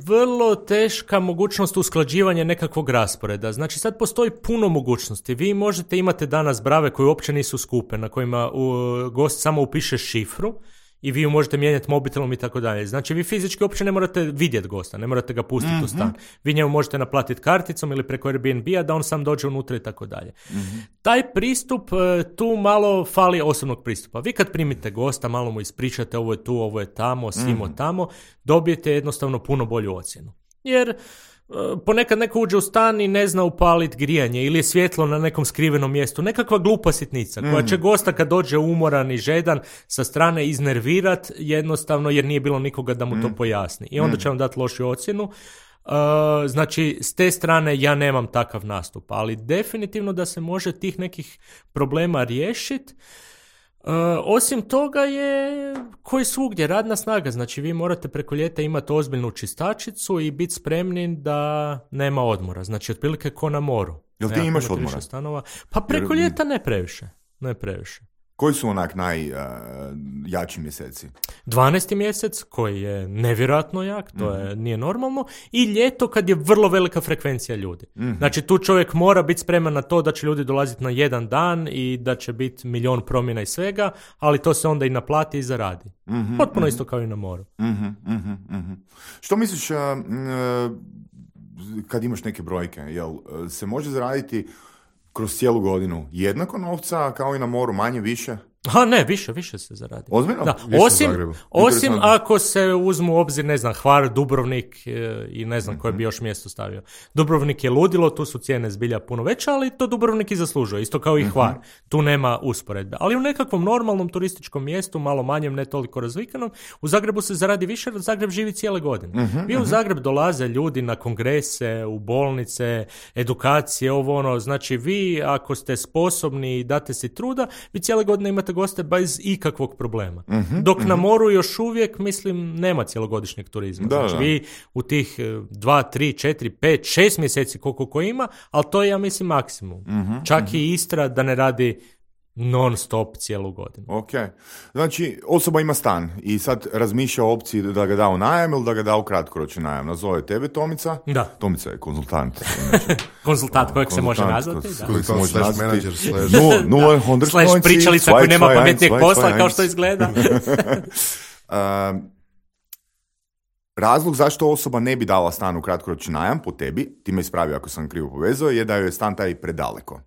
vrlo teška mogućnost usklađivanja nekakvog rasporeda. Znači sad postoji puno mogućnosti. Vi možete imati danas brave koje uopće nisu skupe, na kojima uh, gost samo upiše šifru i vi ju možete mijenjati mobitelom i tako dalje. Znači, vi fizički uopće ne morate vidjeti gosta, ne morate ga pustiti mm-hmm. u stan. Vi njemu možete naplatiti karticom ili preko Airbnb-a da on sam dođe unutra i tako dalje. Mm-hmm. Taj pristup, tu malo fali osobnog pristupa. Vi kad primite gosta, malo mu ispričate ovo je tu, ovo je tamo, simo mm-hmm. tamo, dobijete jednostavno puno bolju ocjenu. Jer ponekad neko uđe u stan i ne zna upaliti grijanje ili je svjetlo na nekom skrivenom mjestu. Nekakva glupa sitnica koja mm. će gosta kad dođe umoran i žedan sa strane iznervirat jednostavno jer nije bilo nikoga da mu mm. to pojasni. I onda će vam dati lošu ocjenu. Uh, znači, s te strane ja nemam takav nastup, ali definitivno da se može tih nekih problema riješiti. Uh, osim toga je koji svugdje radna snaga, znači vi morate preko ljeta imati ozbiljnu čistačicu i biti spremni da nema odmora, znači otprilike ko na moru. Jel ti Ja, imaš imate odmora? više stanova. Pa preko Jer- ljeta ne previše. Ne previše. Koji su onak najjači uh, mjeseci? dvanaesti mjesec koji je nevjerojatno jak, to je, nije normalno, i ljeto kad je vrlo velika frekvencija ljudi. Mm-hmm. Znači tu čovjek mora biti spreman na to da će ljudi dolaziti na jedan dan i da će biti milion promjena i svega, ali to se onda i naplati i zaradi. Mm-hmm, Potpuno mm-hmm. isto kao i na moru. Mm-hmm, mm-hmm, mm-hmm. Što misliš uh, uh, kad imaš neke brojke? Jel uh, se može zaraditi kroz cijelu godinu jednako novca kao i na moru, manje, više? A ne, više, više se zaradi. Ozbiljno? Da, Više u osim, Zagrebu. osim Interesantno. ako se uzmu u obzir, ne znam, Hvar, Dubrovnik e, i ne znam koje bi još mjesto stavio. Dubrovnik je ludilo, tu su cijene zbilja puno veće, ali to Dubrovnik i zaslužuje, isto kao i Hvar. Tu nema usporedbe. Ali u nekakvom normalnom turističkom mjestu, malo manjem, ne toliko razvikanom, u Zagrebu se zaradi više jer Zagreb živi cijele godine. Vi u Zagreb dolaze ljudi na kongrese, u bolnice, edukacije, ovo ono, znači vi ako ste sposobni i date si truda, vi cijele godine imate goste bez ikakvog problema. Mm-hmm, Dok mm-hmm. na moru još uvijek, mislim, nema cjelogodišnjeg turizma. Da, znači da. vi u tih e, dva, tri, četiri, pet, šest mjeseci koliko ko ima, ali to je, ja mislim, maksimum. Mm-hmm, Čak mm-hmm. i Istra da ne radi non stop cijelu godinu. Ok. Znači, osoba ima stan i sad razmišlja o opciji da ga da u najam ili da ga da u kratkoročni najam. Nazove tebe Tomica. Da. Tomica je konzultant. Inače. Konzultant kojeg se može Konzultant, nazvati. Da. kojeg se To može slash nazvati. manager, slash- Nula- nula, hundred Slash points, pričalica zwei, koja nema zwei, pametnijeg eins, posla, zwei, kao što eins. izgleda. Um, razlog zašto osoba ne bi dala stan u kratkoročni najam po tebi, ti me ispravi ako sam krivo povezao, je da joj je stan taj predaleko.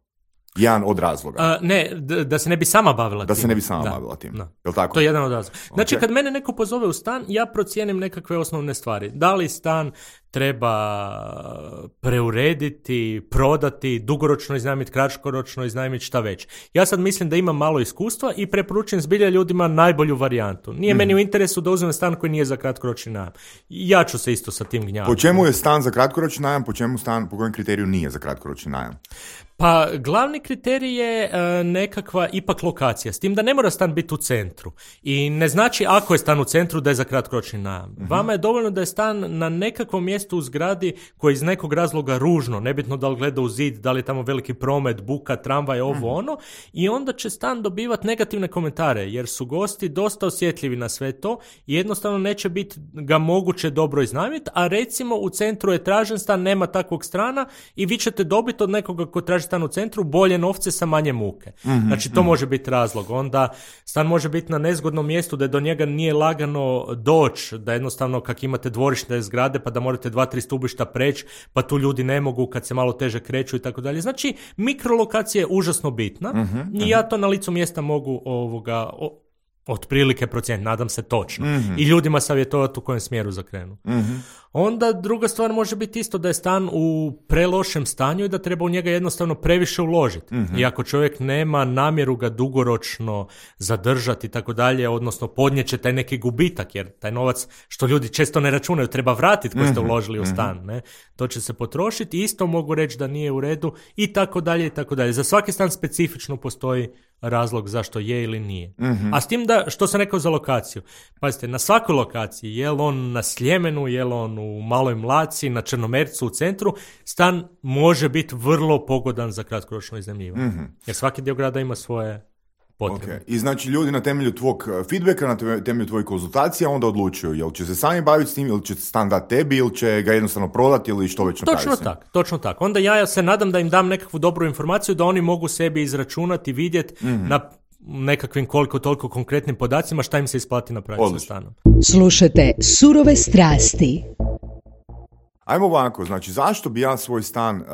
Jedan od razloga. A, ne, d- da se ne bi sama bavila Da tim. se ne bi sama Da. bavila tim. Da. Jel tako? To je jedan od razloga. Znači, Ok. kad mene neko pozove u stan, ja procijenim nekakve osnovne stvari. Da li stan treba preurediti, prodati, dugoročno iznajmiti, kratkoročno iznajmiti, šta već. Ja sad mislim da imam malo iskustva i preporučujem zbilja ljudima najbolju varijantu. Nije Mhm. meni u interesu da uzmem stan koji nije za kratkoročni najam. Ja ću se isto sa tim gnjaviti. Po čemu je stan za kratkoročni najam, po čemu stan, po kojem kriteriju nije za kratkoročni najam? Pa glavni kriterij je e, nekakva ipak lokacija, s tim da ne mora stan biti u centru. I ne znači ako je stan u centru da je za kratkoročni najam. Mhm. Vama je dovoljno da je stan na nekakvom mjestu u zgradi koji je iz nekog razloga ružno, nebitno da li gleda u zid, da li je tamo veliki promet, buka, tramvaj, ovo Mhm. ono, i onda će stan dobivati negativne komentare, jer su gosti dosta osjetljivi na sve to i jednostavno neće biti ga moguće dobro iznajmiti, a recimo u centru je tražen stan, nema takvog strana i vi ćete dobiti od nekoga ko traži stan u centru bolje novce sa manje muke. Mhm, Znači to može biti razlog. Onda stan može biti na nezgodnom mjestu da do njega nije lagano doći, da jednostavno kak imate dvorišne zgrade pa da morate dva, tri stubišta preći, pa tu ljudi ne mogu kad se malo teže kreću i tako dalje. Znači mikrolokacija je užasno bitna i ja to na licu mjesta mogu ovoga o, otprilike procijeniti, nadam se točno. I ljudima savjetovati u kojem smjeru zakrenu. Onda druga stvar može biti isto da je stan u prelošem stanju i da treba u njega jednostavno previše uložiti. I ako čovjek nema namjeru ga dugoročno zadržati i tako dalje, odnosno podnijeće taj neki gubitak, jer taj novac što ljudi često ne računaju treba vratiti koji ste uložili u stan. Ne? To će se potrošiti. Isto mogu reći da nije u redu i tako dalje i tako dalje. Za svaki stan specifično postoji razlog zašto je ili nije. A s tim da, što sam rekao za lokaciju, pazite, na svakoj lokaciji, je li on na Sljemenu, je li on u Maloj Mlaci, na Črnomercu, u centru, stan može biti vrlo pogodan za kratkoročno iznajmljivanje. Jer svaki dio grada ima svoje potrebe. Okay. I znači ljudi na temelju tvog uh, feedbacka, na te- temelju tvojih konzultacija onda odlučuju jel će se sami baviti s tim, ili će stan dati tebi, ili će ga jednostavno prodati, ili što već napraviti. Točno tako, točno tako. Onda ja se nadam da im dam nekakvu dobru informaciju da oni mogu sebi izračunati, vidjeti mm-hmm. na nekakvim koliko toliko konkretnim podacima šta im se isplati napraviti sa Odlično. stanom. Slušajte Surove strasti. Ajmo ovako, znači zašto bi ja svoj stan uh,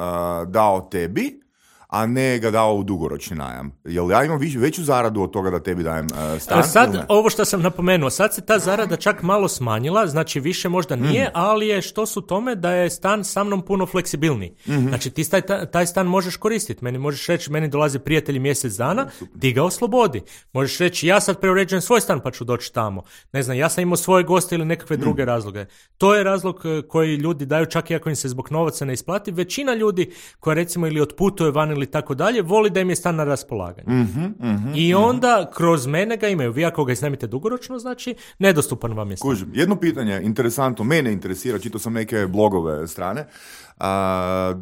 dao tebi, a ne ga dao u dugoročni najam? Jel ja imam viš, veću zaradu od toga da tebi dajem uh, stan? A sad, ili ne? ovo što sam napomenuo, sad se ta zarada čak malo smanjila, znači više možda nije, ali je što su tome da je stan sa mnom puno fleksibilniji. Znači ti taj, taj stan možeš koristiti, meni možeš reći, meni dolazi prijatelji mjesec dana, ti ga oslobodi. Možeš reći, ja sad preuređujem svoj stan pa ću doći tamo. Ne znam, ja sam imao svoje goste ili nekakve druge razloge. To je razlog eh, koji ljudi daju čak i ako im se zbog novaca ne isplati. Većina ljudi koja recimo ili otputuje van ili tako dalje, voli da im je stan na raspolaganju. Mm-hmm, mm-hmm, I onda kroz mene ga imaju. Vi ako ga iznajmite dugoročno, znači nedostupan vam je stan. Kužim. Jedno pitanje, interesantno, mene interesira, čitao sam neke blogove strane. A,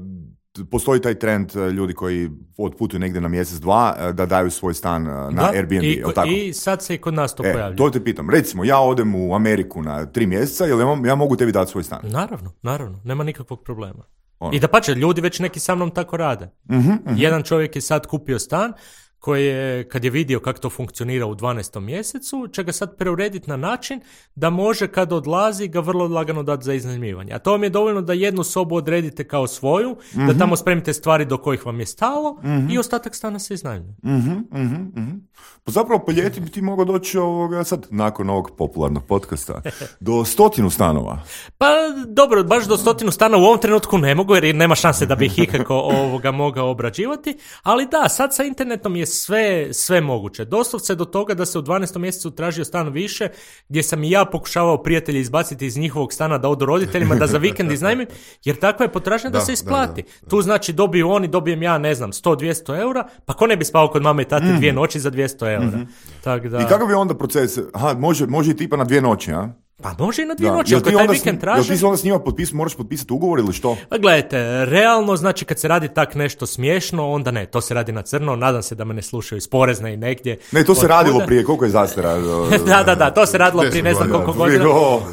postoji taj trend uh, ljudi koji otputuju negdje na mjesec, dva, uh, da daju svoj stan uh, na da, Airbnb, i, jel tako? I sad se i kod nas to e, pojavlja. To te pitam. Recimo, ja odem u Ameriku na tri mjeseca, jel ja, ja mogu tebi dati svoj stan? Naravno, naravno, nema nikakvog problema. Ono. I da pače, ljudi već neki sa mnom tako rade. Uh-huh, uh-huh. Jedan čovjek je sad kupio stan koji je, kad je vidio kako to funkcionira u dvanaestom mjesecu, će ga sad preurediti na način da može kad odlazi ga vrlo lagano dati za iznajmljivanje. A to vam je dovoljno da jednu sobu odredite kao svoju, mm-hmm. da tamo spremite stvari do kojih vam je stalo mm-hmm. i ostatak stana se iznajmljuje. Mm-hmm, mm-hmm, mm-hmm. Pa zapravo po ljeti bi ti mogao doći ovoga, sad nakon ovog popularnog podcasta do stotinu stanova. Pa dobro, baš do stotinu stana u ovom trenutku ne mogu jer nema šanse da bi ih ikako ovoga mogao obrađivati, ali da, sad sa internetom je sve, sve moguće. Doslovce do toga da se u dvanaestom mjesecu tražio stan više, gdje sam i ja pokušavao prijatelje izbaciti iz njihovog stana da odu roditeljima, da za vikend iznajmim, jer takva je potražnja da, da se isplati. Da, da, da. Tu znači dobiju oni, dobijem ja, ne znam, sto do dvjesto eura, pa ko ne bi spao kod mame i tate mm. dvije noći za dvjesto eura. Mm-hmm. Tak da... I kakav je onda proces? Aha, može, može i tipa na dvije noći, a? Pa može i na dvije noći, ako taj vikend traže. Jel ti se onda s njima potpis, moraš potpisati ugovor ili što? Pa gledajte, realno, znači kad se radi tak nešto smiješno, onda ne, to se radi na crno, nadam se da me ne slušaju iz porezne i negdje. Ne, to se radilo kuda. Prije, koliko je zastara? da, da, da, to se radilo prije ne znam koliko godina.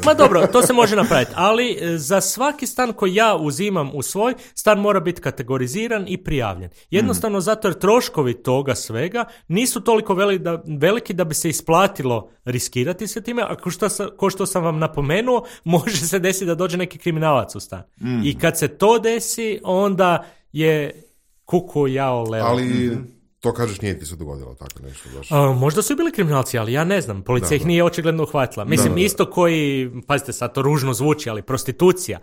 Ma dobro, to se može napraviti, ali za svaki stan koji ja uzimam u svoj, stan mora biti kategoriziran i prijavljen. Jednostavno mm. zato jer troškovi toga svega nisu toliko veliki da, veliki da bi se isplatilo riskirati se time, a ko što, ko što sam vam napomenuo, može se desiti da dođe neki kriminalac u stan. Mm. I kad se to desi, onda je kuku jao leo. Ali to kažeš nije ti se dogodilo tako nešto. Baš. A, možda su i bili kriminalci, ali ja ne znam. Policija da, ih nije očigledno uhvatila. Mislim, da, da. Isto koji, pazite sad, to ružno zvuči, ali prostitucija.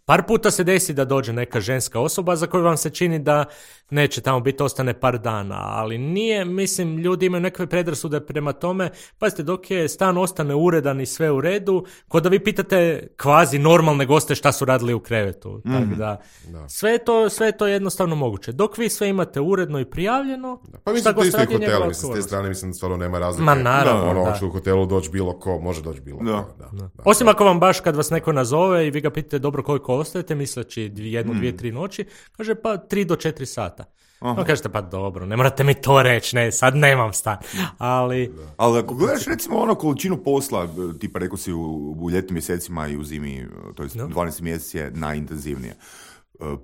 Par puta se desi da dođe neka ženska osoba za koju vam se čini da neće tamo biti, ostane par dana, ali nije, mislim, ljudi imaju nekakve predrasude prema tome, pazite, dok je stan ostane uredan i sve u redu, kod da vi pitate kvazi normalne goste šta su radili u krevetu, mm. tako da, da. Sve, to, sve je to jednostavno moguće. Dok vi sve imate uredno i prijavljeno, da. Pa mislim, to isto i hotel, mislim, s te strane, mislim, stvarno nema razlike. Ma naravno, ono, da. Ono, u hotelu doći bilo ko, može doći bilo da. ko. Da. Da. Da. Osim ako vam baš kad vas neko nazove i vi ga pitate dobro koliko ostajete, misleći jednu, mm. dvije, tri noći, kaže pa tri do četiri sata. Aha. No kažete pa dobro, ne morate mi to reći, ne, sad nemam stan, ali... Ali ako gledaš recimo ono količinu posla, tipa rekao si u, u ljetnim mjesecima i u zimi, to je no. dvanaest mjeseci je najintenzivnije.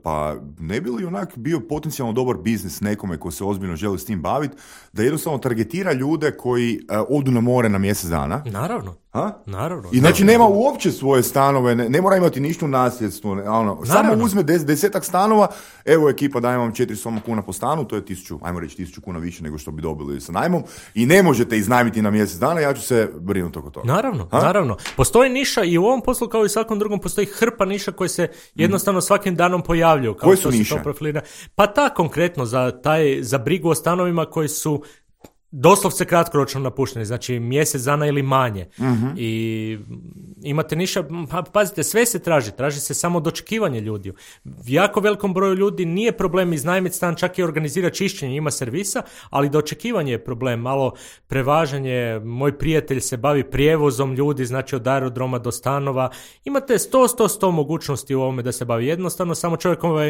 Pa ne bi li onak bio potencijalno dobar biznis nekome ko se ozbiljno želi s tim baviti, da jednostavno targetira ljude koji uh, odu na more na mjesec dana? Naravno. Ha? Naravno. I znači nema uopće svoje stanove, ne, ne mora imati ništa u nasljedstvu, ne, ono, samo uzme des, desetak stanova, evo ekipa daje vam četiristo kuna po stanu, to je tisuću, ajmo reći tisuću kuna više nego što bi dobili sa najmom i ne možete iznajmiti na mjesec dana, ja ću se brinuti oko toga. Naravno, ha? naravno. Postoji niša i u ovom poslu kao i svakom drugom postoji hrpa niša koje se jednostavno svakim danom pojavljuju. Kao koje su niše? Pa ta konkretno za, taj, za brigu o stanovima koji su doslovce kratkoročno napušteni, znači mjesec dana ili manje. Mm-hmm. I imate niša, pa pazite, sve se traži, traži se samo dočekivanje ljudi. Jako velikom broju ljudi nije problem iznajmiti stan, čak i organizira čišćenje, ima servisa, ali dočekivanje je problem, malo prevažanje, moj prijatelj se bavi prijevozom ljudi, znači od aerodroma do stanova, imate sto, sto, sto mogućnosti u ovome da se bavi jednostavno, samo čovjekova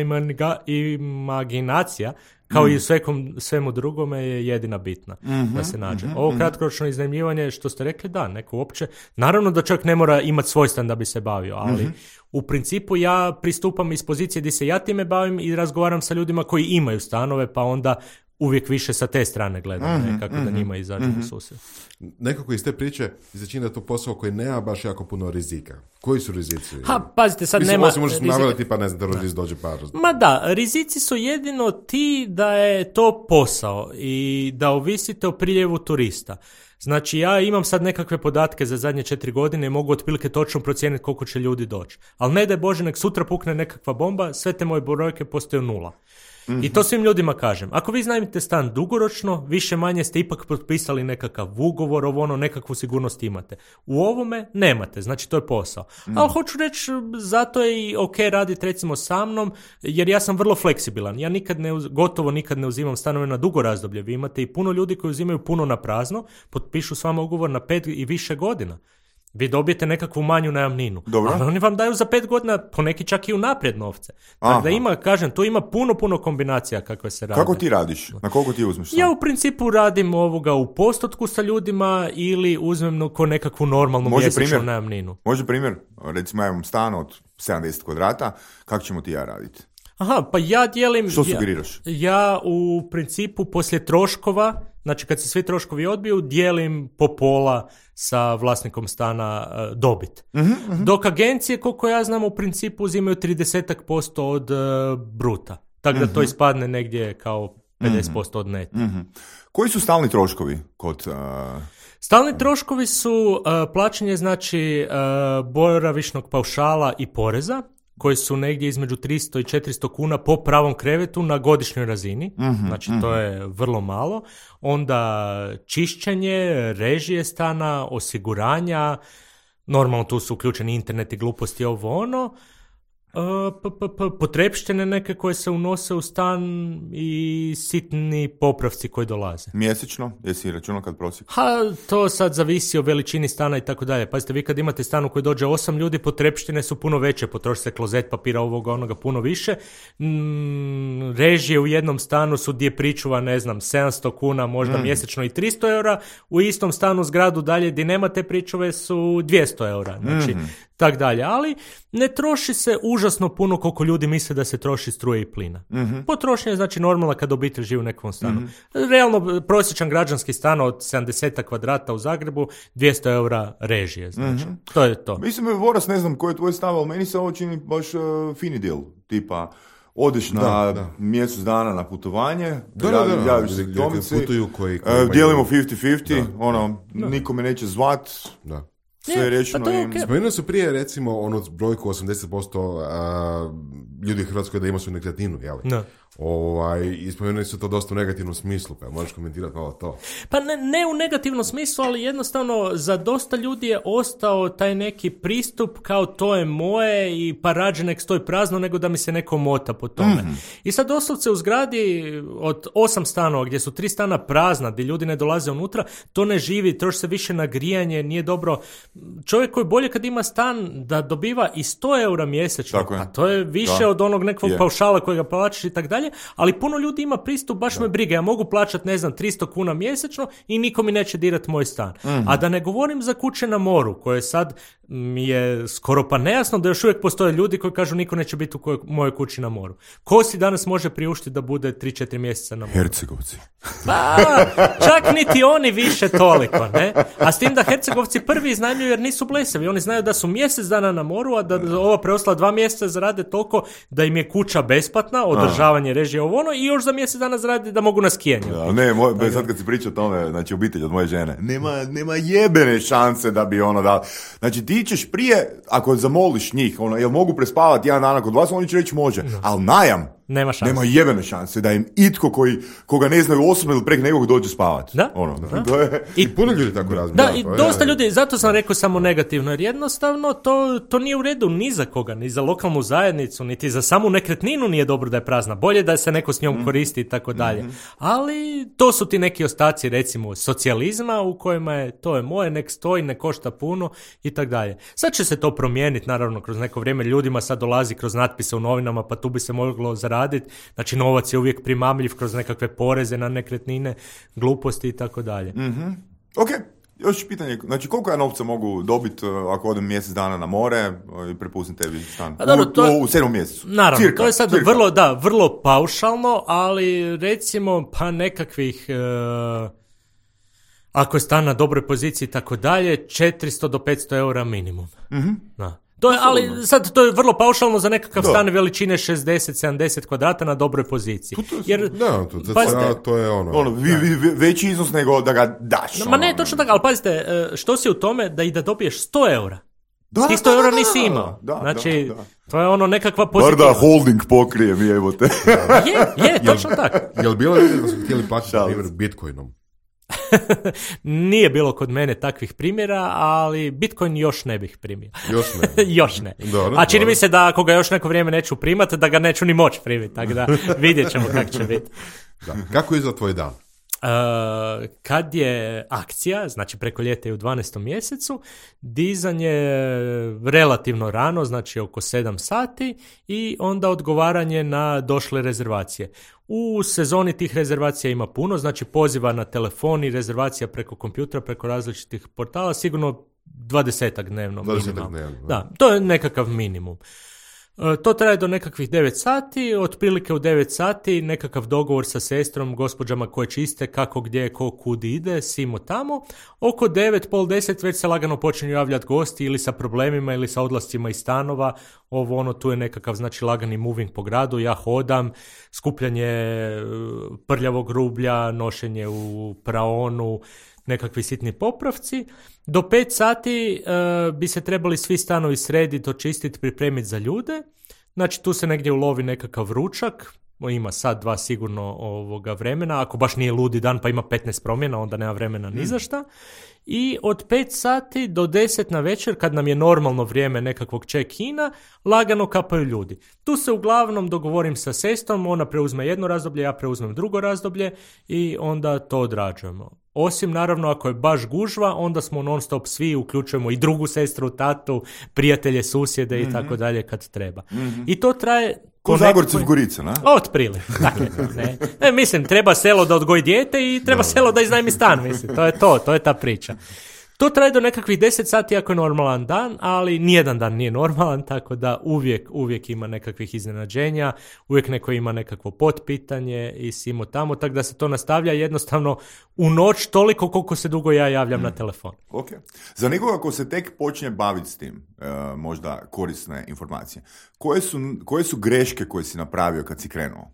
imaginacija kao mm. i u svekom, svemu drugome je jedina bitna mm-hmm, da se nađe. Mm-hmm, Ovo kratkoročno iznajmljivanje, što ste rekli, da, neko uopće, naravno da čovjek ne mora imati svoj stan da bi se bavio, ali mm-hmm. u principu ja pristupam iz pozicije gdje se ja time bavim i razgovaram sa ljudima koji imaju stanove, pa onda uvijek više sa te strane gledam, mm-hmm, ne, kako mm-hmm, da njima izađu mm-hmm. u susret. Nekako iz te priče začini da je to posao koji nema baš jako puno rizika. Koji su rizici? Ha, pazite, sad Mislim, nema... Mislim, možeš navjeliti pa ne znam, terorist dođe par... Ma da, rizici su jedino ti da je to posao i da ovisite o priljevu turista. Znači, ja imam sad nekakve podatke za zadnje četiri godine i mogu otprilike točno procijeniti koliko će ljudi doći. Ali ne daj Bože, nek sutra pukne nekakva bomba, sve te moje brojke postaju nula. Mm-hmm. I to svim ljudima kažem. Ako vi iznajmite stan dugoročno, više manje ste ipak potpisali nekakav ugovor, ovo ono, nekakvu sigurnost imate. U ovome nemate, znači to je posao. Mm-hmm. Ali hoću reći, zato je i ok raditi recimo sa mnom, jer ja sam vrlo fleksibilan. Ja nikad ne, gotovo nikad ne uzimam stanove na dugo razdoblje. Vi imate i puno ljudi koji uzimaju puno na prazno, potpišu s vama ugovor na pet i više godina. Vi dobijete nekakvu manju najamninu. Dobro. Ali oni vam daju za pet godina, poneki čak i unaprijed novce. Tako da ima, kažem, tu ima puno, puno kombinacija kakve se rade. Kako ti radiš? Na koliko ti uzmeš stan? Ja u principu radim ovoga u postotku sa ljudima ili uzmem ko nekakvu normalnu Može mjesečnu primjer? najamninu. Može primjer? Recimo ja imam stan od sedamdeset kvadrata, kako ćemo ti ja raditi? Aha, pa ja dijelim... Što sugeriraš? Ja, ja u principu poslije troškova, znači kad se svi troškovi odbiju, dijelim po pola sa vlasnikom stana uh, dobit. Uh-huh, uh-huh. Dok agencije, koliko ja znam, u principu uzimaju trideset posto od uh, bruta. Tako da to ispadne negdje kao pedeset posto od neta. Uh-huh. Koji su stalni troškovi kod... Uh... Stalni troškovi su uh, plaćanje, znači, uh, boravišnog paušala i poreza, koji su negdje između tristo i četiristo kuna po pravom krevetu na godišnjoj razini. Mm-hmm, znači, mm-hmm. to je vrlo malo. Onda čišćenje, režije stana, osiguranja, normalno tu su uključeni internet i gluposti, ovo ono. Potrepštine neke koje se unose u stan i sitni popravci koji dolaze. Mjesečno? Jesi računao kad prosjek? Ha, to sad zavisi o veličini stana i tako dalje. Pazite, vi kad imate stan u koji dođe osam ljudi, potrepštine su puno veće, potroši se klozet, papira, ovoga, onoga, puno više. Mm, režije u jednom stanu su gdje pričuva, ne znam, sedamsto kuna, možda mm. mjesečno i tristo eura. U istom stanu zgradu dalje gdje nema te pričuve su dvjesto eura. Znači, mm. tak dalje. Ali ne troši se užasno puno koliko ljudi misle da se troši struje i plina. Mm-hmm. Potrošnja je znači normalna kad obitelj živi u nekom stanu. Mm-hmm. Realno, prosječan građanski stan od sedamdeset kvadrata u Zagrebu, dvjesto eura režije. Znači, mm-hmm. to je to. Mislim, Voras, ne znam koji je tvoj stav, ali meni se ovo čini baš uh, fini deal. Tipa, odeš na da, da. mjesec dana na putovanje, da, da, da, javiš se domici, uh, dijelimo pedeset pedeset, ono, da. Niko me neće zvat. Da. Sve je rečeno pa im. Okay. Spomenuo su prije, recimo, onu brojku osamdeset posto a, ljudi u Hrvatskoj da ima su nekretninu, jel? No. Ovaj, i spomenuli su to dosta u negativnom smislu, pa možeš komentirati malo to. Pa ne, ne u negativnom smislu, ali jednostavno za dosta ljudi je ostao taj neki pristup kao to je moje i pa rađe nek stoji prazno nego da mi se neko mota po tome. Mm-hmm. I sad doslovce u zgradi od osam stanova gdje su tri stana prazna, gdje ljudi ne dolaze unutra, to ne živi, troši se više na grijanje, nije dobro. Čovjek koji bolje kad ima stan da dobiva i sto eura mjesečno, a to je više da. od onog nekog yeah. paušala kojega plaćaš i tak dalje, ali puno ljudi ima pristup, baš da. me briga, ja mogu plaćati, ne znam, tristo kuna mjesečno i niko mi neće dirati moj stan. Mm-hmm. A da ne govorim za kuće na moru, koje sad mi je skoro pa nejasno da još uvijek postoje ljudi koji kažu niko neće biti u kojoj, mojoj kući na moru. Ko si danas može priuštiti da bude tri četiri mjeseca na moru? Hercegovci. Pa, čak niti oni više toliko, ne? A s tim da Hercegovci prvi iznajmljuju jer nisu blesavi. Oni znaju da su mjesec dana na moru, a da ova preostala dva mjeseca zarade toliko da im je kuća besplatna, održavanje, režije, ovo ono, i još za mjesec dana zarade da mogu na skijanje. Da, ne, moj, bez, sad kad si pričao o tome, znači obitelj od moje žene, nema, nema jebene šanse da bi ono da... Znači ti ćeš prije, ako zamoliš njih, ono, jel mogu prespavati jedan dan kod vas, oni će reći može, no. ali najam, nema šanse. Nema jebene šanse da im itko koji, koga ne znaju osobno ili prek nekog dođe spavati. Da? Ono, da. To je... I puno ljudi tako razmišljaju. Da, i dosta ljudi, zato sam rekao samo negativno, jer jednostavno to, to nije u redu ni za koga, ni za lokalnu zajednicu, niti za samu nekretninu nije dobro da je prazna. Bolje da se neko s njom koristi i tako dalje. Ali to su ti neki ostaci, recimo, socijalizma u kojima je to je moje, nek stoji, ne košta puno i tako dalje. Sad će se to promijeniti, naravno, kroz neko vrijeme. Ljudima sad dolazi kroz natpise u novinama, pa tu bi se moglo zaraditi. Znači, novac je uvijek primamljiv kroz nekakve poreze na nekretnine, gluposti i tako dalje. Mhm. Ok. Još pitanje, znači koliko ja novca mogu dobiti ako odem mjesec dana na more i prepustim tebi stan? A, dobro, to je, u, u sedmom mjesecu. Naravno, cirka, to je sad cirka. vrlo, da, vrlo paušalno, ali recimo pa nekakvih, uh, ako je stan na dobroj poziciji i tako dalje, četiristo do petsto eura minimum. Mhm. Da. To je, ali sad to je vrlo paušalno za nekakav da. stan veličine šezdeset sedamdeset kvadrata na dobroj poziciji. To, to, jer, da, to, pazite, to je ono. ono vi, vi, veći iznos nego da ga daš. Ma ne, točno tako, ali pazite, što si u tome da i da dobiješ sto eura? Da, ti sto eura nisi imao. Da, znači, da, da. to je ono nekakva pozitiva. Bar da holding pokrije mi, evo te. je, je, točno tako. Jel bilo ljudi da su htjeli plaćati, na primjer, bitcoinom? Nije bilo kod mene takvih primjera, ali Bitcoin još ne bih primio. Još ne? još ne. Dobro, A čini dobro. mi se da ako ga još neko vrijeme neću primati, da ga neću ni moći primiti, tako da vidjet ćemo kako će biti. Da. Kako izgleda tvoj dan? kad je akcija, znači preko ljeta i u dvanaestom mjesecu, dizanje relativno rano, znači oko sedam sati i onda odgovaranje na došle rezervacije. U sezoni tih rezervacija ima puno, znači poziva na telefon i rezervacija preko kompjutera, preko različitih portala, sigurno dvadesetak dnevno. dvadesetak dnevno. Da, to je nekakav minimum. To traje do nekakvih devet sati, otprilike u devet sati nekakav dogovor sa sestrom, gospođama koje čiste, kako, gdje, ko, kud ide, simo tamo. Oko devet, pol deset već se lagano počinju javljati gosti ili sa problemima ili sa odlascima iz stanova. Ovo ono, tu je nekakav, znači, lagani moving po gradu, ja hodam, skupljanje prljavog rublja, nošenje u praonu, nekakvi sitni popravci. Do pet sati uh, bi se trebali svi stanovi srediti, očistiti, pripremiti za ljude. Znači tu se negdje ulovi nekakav ručak, ima sad dva sigurno ovoga vremena, ako baš nije ludi dan pa ima petnaest promjena, onda nema vremena ni za šta. I od pet sati do deset na večer, kad nam je normalno vrijeme nekakvog check-ina, lagano kapaju ljudi. Tu se uglavnom dogovorim sa sestrom, ona preuzme jedno razdoblje, ja preuzmem drugo razdoblje i onda to odrađujemo. Osim, naravno, ako je baš gužva, onda smo non stop svi, uključujemo i drugu sestru, tatu, prijatelje, susjede mm-hmm. i tako dalje kad treba. Mm-hmm. I to traje... Ko Zagorci v Gorice, ne? Otprilike, dakle, ne. ne. Mislim, treba selo da odgoji dijete i treba no. selo da iznajmi stan, mislim, to je to, to je ta priča. To traje do nekakvih deset sati ako je normalan dan, ali nijedan dan nije normalan, tako da uvijek, uvijek ima nekakvih iznenađenja, uvijek neko ima nekakvo potpitanje i simo tamo, tako da se to nastavlja jednostavno u noć toliko koliko se dugo ja javljam mm. na telefon. Ok. Za nekoga ko se tek počne baviti s tim, uh, možda korisne informacije, koje su, koje su greške koje si napravio kad si krenuo?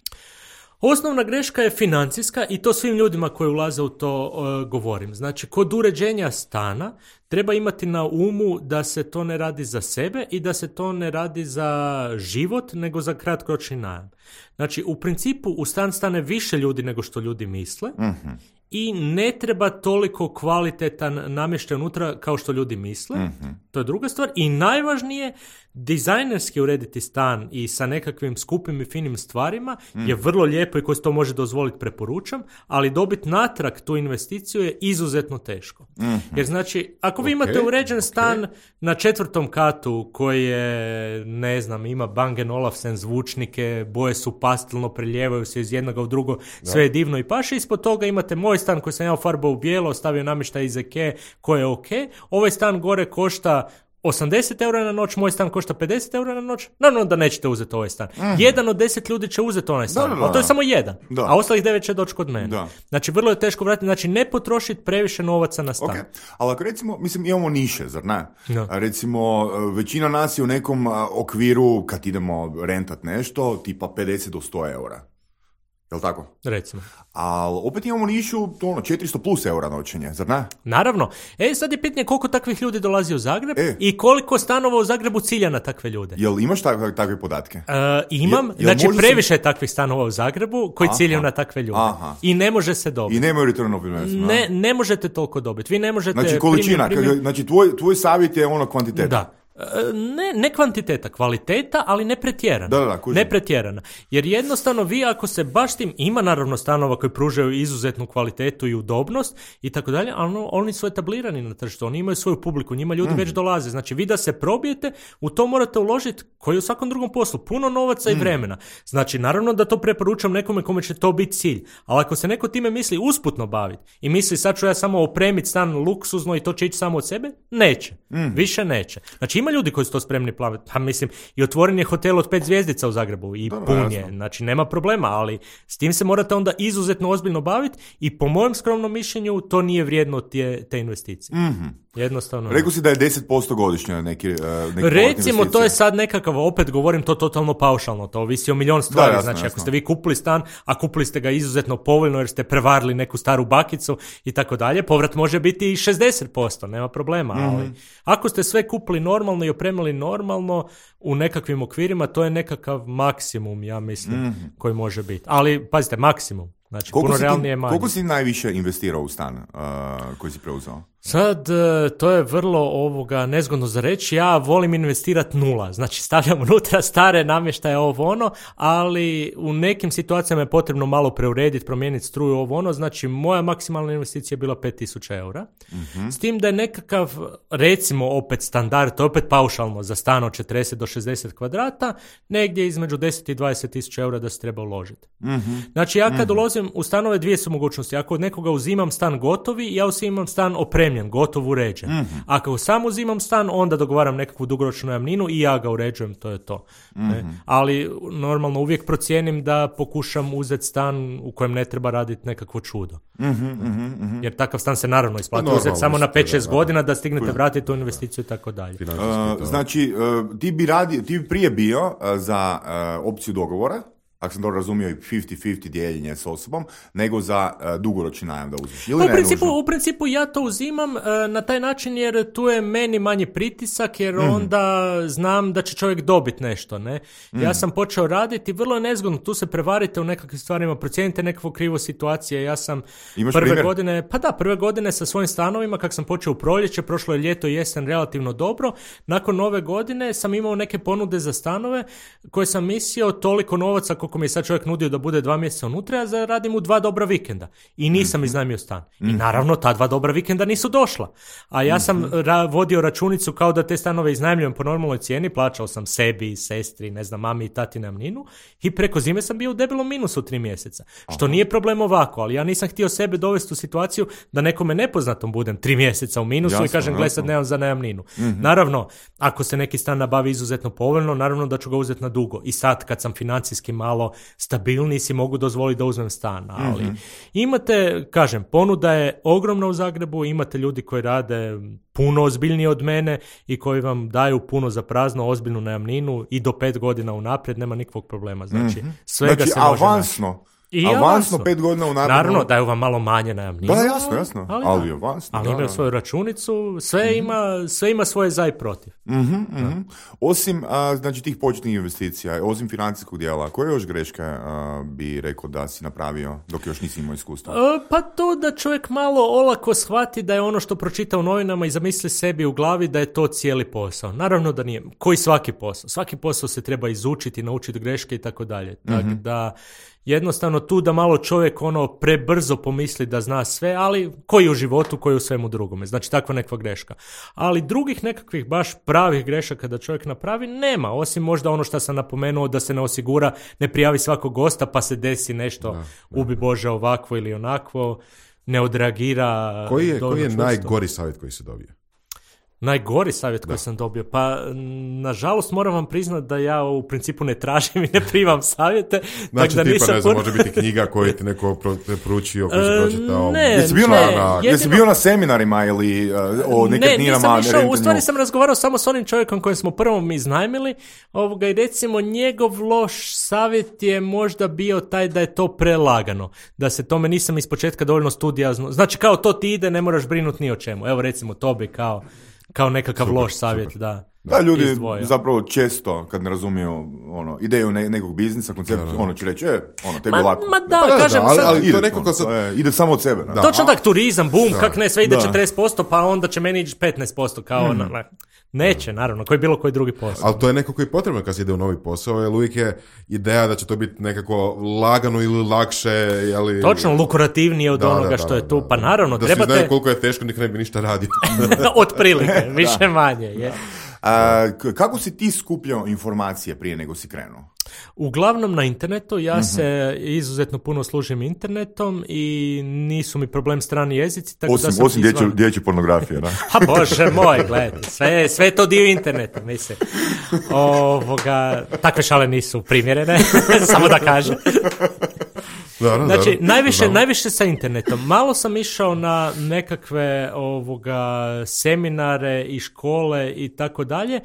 Osnovna greška je financijska i to svim ljudima koji ulaze u to uh, govorim. Znači, kod uređenja stana treba imati na umu da se to ne radi za sebe i da se to ne radi za život, nego za kratkoročni najam. Znači, u principu u stan stane više ljudi nego što ljudi misle mm-hmm. i ne treba toliko kvalitetan namještaj unutra kao što ljudi misle. Mm-hmm. To je druga stvar. I najvažnije, dizajnerski urediti stan i sa nekakvim skupim i finim stvarima mm. je vrlo lijepo i koji se to može dozvoliti, preporučam, ali dobiti natrag tu investiciju je izuzetno teško. Mm-hmm. Jer znači, ako vi okay. imate uređen stan okay. na četvrtom katu koji je, ne znam, ima Bang and Olufsen zvučnike, boje su pastelno, prelijevaju se iz jednoga u drugo, da. Sve je divno i paše, ispod toga imate moj stan koji sam ja ufarbao u bijelo, stavio namještaj iz Ikee koji je ok, ovaj stan gore košta osamdeset eura na noć, moj stan košta pedeset eura na noć, naravno da nećete uzeti ovaj stan. Mm-hmm. Jedan od deset ljudi će uzeti onaj stan, da, da, da. A to je samo jedan, da. A ostalih devet će doći kod mene. Da. Znači, vrlo je teško vratiti, znači ne potrošiti previše novaca na stan. Okay. Ali ako recimo, mislim, imamo niše, zar ne? Da. Recimo, većina nas je u nekom okviru, kad idemo rentat nešto, tipa pedeset do sto eura. Jel' tako? Recimo. Ali opet imamo nišu ono, četiristo plus eura noćenje, zar ne? Naravno. E, sad je pitanje koliko takvih ljudi dolazi u Zagreb e. i koliko stanova u Zagrebu cilja na takve ljude. Jel imaš takve, takve podatke? Uh, imam. Jel, jel znači, previše se... takvih stanova u Zagrebu koji aha. ciljaju na takve ljude. Aha. I ne može se dobiti. I nemaju return of investment. Ne, ne možete toliko dobiti. Vi ne možete... Znači, količina. Primjer, primjer... Znači, tvoj, tvoj savjet je ono kvantiteta. Da. Ne, ne kvantiteta, kvaliteta, ali ne pretjerana. Da, da, ne pretjerana. Jer jednostavno vi ako se baš tim, ima naravno stanova koji pružaju izuzetnu kvalitetu i udobnost i tako dalje, ali oni su etablirani na tržištu, oni imaju svoju publiku, njima ljudi mm. već dolaze. Znači vi da se probijete, u to morate uložiti, koji u svakom drugom poslu, puno novaca mm. i vremena. Znači naravno da to preporučam nekome kome će to biti cilj, ali ako se neko time misli usputno baviti i misli sad ću ja samo opremiti stan luksuzno i to će ići samo od sebe, neće. Mm. Više neće. Znači ima ljudi koji su to spremni plaviti. Pa mislim, i otvoren je hotel od pet zvjezdica u Zagrebu i Dobro, pun je. Znači, nema problema, ali s tim se morate onda izuzetno ozbiljno baviti i po mojem skromnom mišljenju to nije vrijedno te, te investicije. Mm-hmm. Jednostavno. Rekao si da je deset posto godišnje neki, uh, neki recimo, to je sad nekakav, opet govorim to totalno paušalno, to ovisi o milion stvari. Da, jasno, znači, jasno. Ako ste vi kupili stan, a kupili ste ga izuzetno povoljno jer ste prevarili neku staru bakicu i tako dalje, povrat može biti i šezdeset posto, nema problema. Mm-hmm. Ali ako ste sve kupili normalno i opremili normalno u nekakvim okvirima, to je nekakav maksimum, ja mislim, mm-hmm. koji može biti. Ali, pazite, maksimum. Znači, koliko puno si realnije ti, manje. Koliko si najviše investirao u stan uh, koji si preuzeo? Sad, to je vrlo ovoga nezgodno za reći. Ja volim investirati nula. Znači, stavljam unutra stare namještaje ovo ono, ali u nekim situacijama je potrebno malo preurediti, promijeniti struju ovo ono. Znači, moja maksimalna investicija je bila pet tisuća eura. Mm-hmm. S tim da je nekakav, recimo, opet standard, to je opet paušalno za stan od četrdeset do šezdeset kvadrata, negdje između deset i dvadeset tisuća eura da se treba uložiti. Mm-hmm. Znači, ja kad mm-hmm. ulozim u stanove, dvije su mogućnosti. Ako od nekoga uzimam stan gotovi, ja uzimam stan opremljen, gotov uređen. Mm-hmm. Ako sam uzimam stan, onda dogovaram nekakvu dugoročnu najamninu i ja ga uređujem, to je to. Mm-hmm. Ne? Ali normalno uvijek procijenim da pokušam uzeti stan u kojem ne treba raditi nekakvo čudo. Mm-hmm, mm-hmm. Jer takav stan se naravno isplati uzeti samo na pet šest godina da stignete vratiti tu investiciju i tako dalje. Uh, znači, uh, ti bi radi, ti bi prije bio uh, za uh, opciju dogovora, ako sam dobro razumio, i pedeset pedeset dijeljenje s osobom, nego za uh, dugoročni najam da uzmeš. Ili u, principu, u principu ja to uzimam uh, na taj način jer tu je meni manji pritisak, jer mm. onda znam da će čovjek dobiti nešto. Ne? Mm. Ja sam počeo raditi, vrlo je nezgodno, tu se prevarite u nekakvim stvarima, procijenite nekakvu krivu situaciju. Ja sam Imaš prve primjer? godine, pa da, prve godine sa svojim stanovima, kak sam počeo u proljeće, prošlo je ljeto i jesen relativno dobro, nakon nove godine sam imao neke ponude za stanove koje sam mislio toliko novaca koliko mi je sad čovjek nudio da bude dva mjeseca unutra, ja zaradim mu dva dobra vikenda. I nisam mm-hmm. iznajmio stan. Mm-hmm. I naravno, ta dva dobra vikenda nisu došla. A ja sam mm-hmm. ra- vodio računicu kao da te stanove iznajmljujem po normalnoj cijeni, plaćao sam sebi, sestri, ne znam, mami i tati najamninu i preko zime sam bio u debelom minusu tri mjeseca. Aha. Što nije problem ovako, ali ja nisam htio sebe dovesti u situaciju da nekome nepoznatom budem tri mjeseca u minusu. Jasno, i kažem, gle, sad nemam za najamninu. Mm-hmm. Naravno, ako se neki stan nabavi izuzetno povoljno, naravno da ću ga uzeti na dugo. I sad, kad sam financijski malo stabilniji, si mogu dozvoliti da uzmem stan. Ali mm-hmm. imate, kažem, ponuda je ogromna u Zagrebu, imate ljudi koji rade puno ozbiljnije od mene i koji vam daju puno za prazno, ozbiljnu najamninu i do pet godina unaprijed, nema nikakvog problema. Znači, mm-hmm. svega znači, se može avansno. naći. I avansno, avansno pet godina unaprijed. Naravno, daju vam malo manje najamninu. Da, jasno, jasno. Ali, ali avansno. Ali da, imaju da. svoju računicu, sve, mm-hmm. ima, sve ima svoje za i protiv. Mm-hmm, mm-hmm. Osim a, znači, tih početnih investicija, osim financijskog dijela, koje još greške a, bi rekao da si napravio dok još nisi imao iskustva? A, pa to da čovjek malo olako shvati da je ono što pročita u novinama i zamisli sebi u glavi da je to cijeli posao. Naravno da nije. Koji svaki posao? Svaki posao se treba izučiti, naučiti greške i tako dalje. Tako da jednostavno tu da malo čovjek ono prebrzo pomisli da zna sve, ali koji u životu, koji u svemu drugome. Znači takva nekakva greška. Ali drugih nekakvih baš pravih grešaka da čovjek napravi nema, osim možda ono što sam napomenuo da se ne osigura, ne prijavi svakog gosta pa se desi nešto, da, da. Ubi Bože ovakvo ili onakvo, ne odreagira. Koji je, koji je najgori savjet koji se dobije? Najgori savjet da. koji sam dobio? Pa, nažalost, moram vam priznati da ja u principu ne tražim i ne primam savjete. Znači, da tipa, nisam ne znam, pun... može biti knjiga koju ti neko preporučio, koji se pročitao. Ne, jesi bio, ne, na, jedino... jesi bio na seminarima ili uh, o nekretninama? Ne, nisam išao, u stvari sam razgovarao samo s onim čovjekom kojem smo prvom iznajmili, ovoga, i recimo njegov loš savjet je možda bio taj da je to prelagano, da se tome nisam ispočetka dovoljno studijazno, znači kao to ti ide, ne moraš brinuti ni o čemu. Evo recimo to bi kao kao nekakav super, loš savjet, super. da. Da, ljudi izdvojio. Zapravo često, kad ne razumiju ono, ideju ne, nekog biznisa, koncept, da, da. ono će reći, e, ono, tebi ma, lako. Ma da, pa, kažem, da, ali, sad, ali ide, to nekako ono, sad... je, ide samo od sebe. Da. Točno tak, turizam, bum, da. kak ne, sve ide da. četrdeset posto, pa onda će meni ići petnaest posto, kao mm. na, neće, naravno, koji bilo koji drugi posao. Ali to je nekako i potrebno kad se ide u novi posao, jer uvijek je ideja da će to biti nekako lagano ili lakše. Ali... Točno, lukrativnije od da, onoga da, što da, je tu, da, pa naravno, da trebate... Da svi znaju koliko je teško, nik ne bi ništa radio. Od prilike, više manje, je. A, kako si ti skupljao informacije prije nego si krenuo? Uglavnom na internetu, ja mm-hmm. se izuzetno puno služim internetom i nisu mi problem strani jezici. Tako osim da sam osim izvan... dječje, dječje pornografije, da? Ha bože moj, gledajte, sve, sve je to dio interneta, mislim. Ovoga, takve šale nisu primjerene, samo da kažem. Dobro, znači, dobro, najviše, dobro. najviše sa internetom. Malo sam išao na nekakve ovoga, seminare i škole i tako dalje,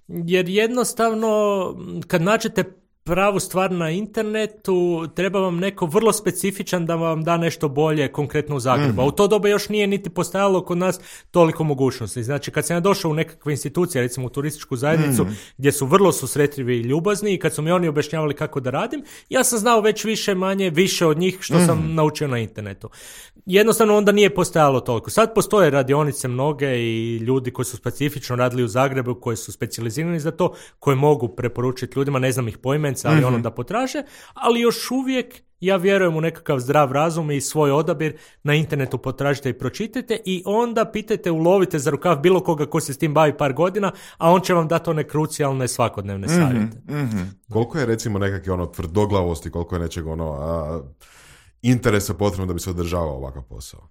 jer jednostavno kad nađete pravu stvar na internetu, treba vam neko vrlo specifičan da vam da nešto bolje konkretno u Zagrebu. Mm-hmm. A u to doba još nije niti postojalo kod nas toliko mogućnosti. Znači, kad sam ja došao u nekakve institucije, recimo u turističku zajednicu, mm-hmm. gdje su vrlo susretljivi i ljubazni i kad su mi oni objašnjavali kako da radim, ja sam znao već više manje, više od njih što mm-hmm. sam naučio na internetu. Jednostavno onda nije postojalo toliko. Sad postoje radionice mnoge i ljudi koji su specifično radili u Zagrebu, koji su specijalizirani za to, koji mogu preporučiti ljudima, ne znam ih poimenca, ali mm-hmm. ono da potraže, ali još uvijek ja vjerujem u nekakav zdrav razum i svoj odabir na internetu potražite i pročitajte i onda pitajte, ulovite za rukav bilo koga ko se s tim bavi par godina, a on će vam dati one krucijalne svakodnevne mm-hmm. savjete. Mm-hmm. Koliko je recimo nekakve ono tvrdoglavosti, koliko je nečeg ono a, interesa potrebno da bi se održavao ovakav posao?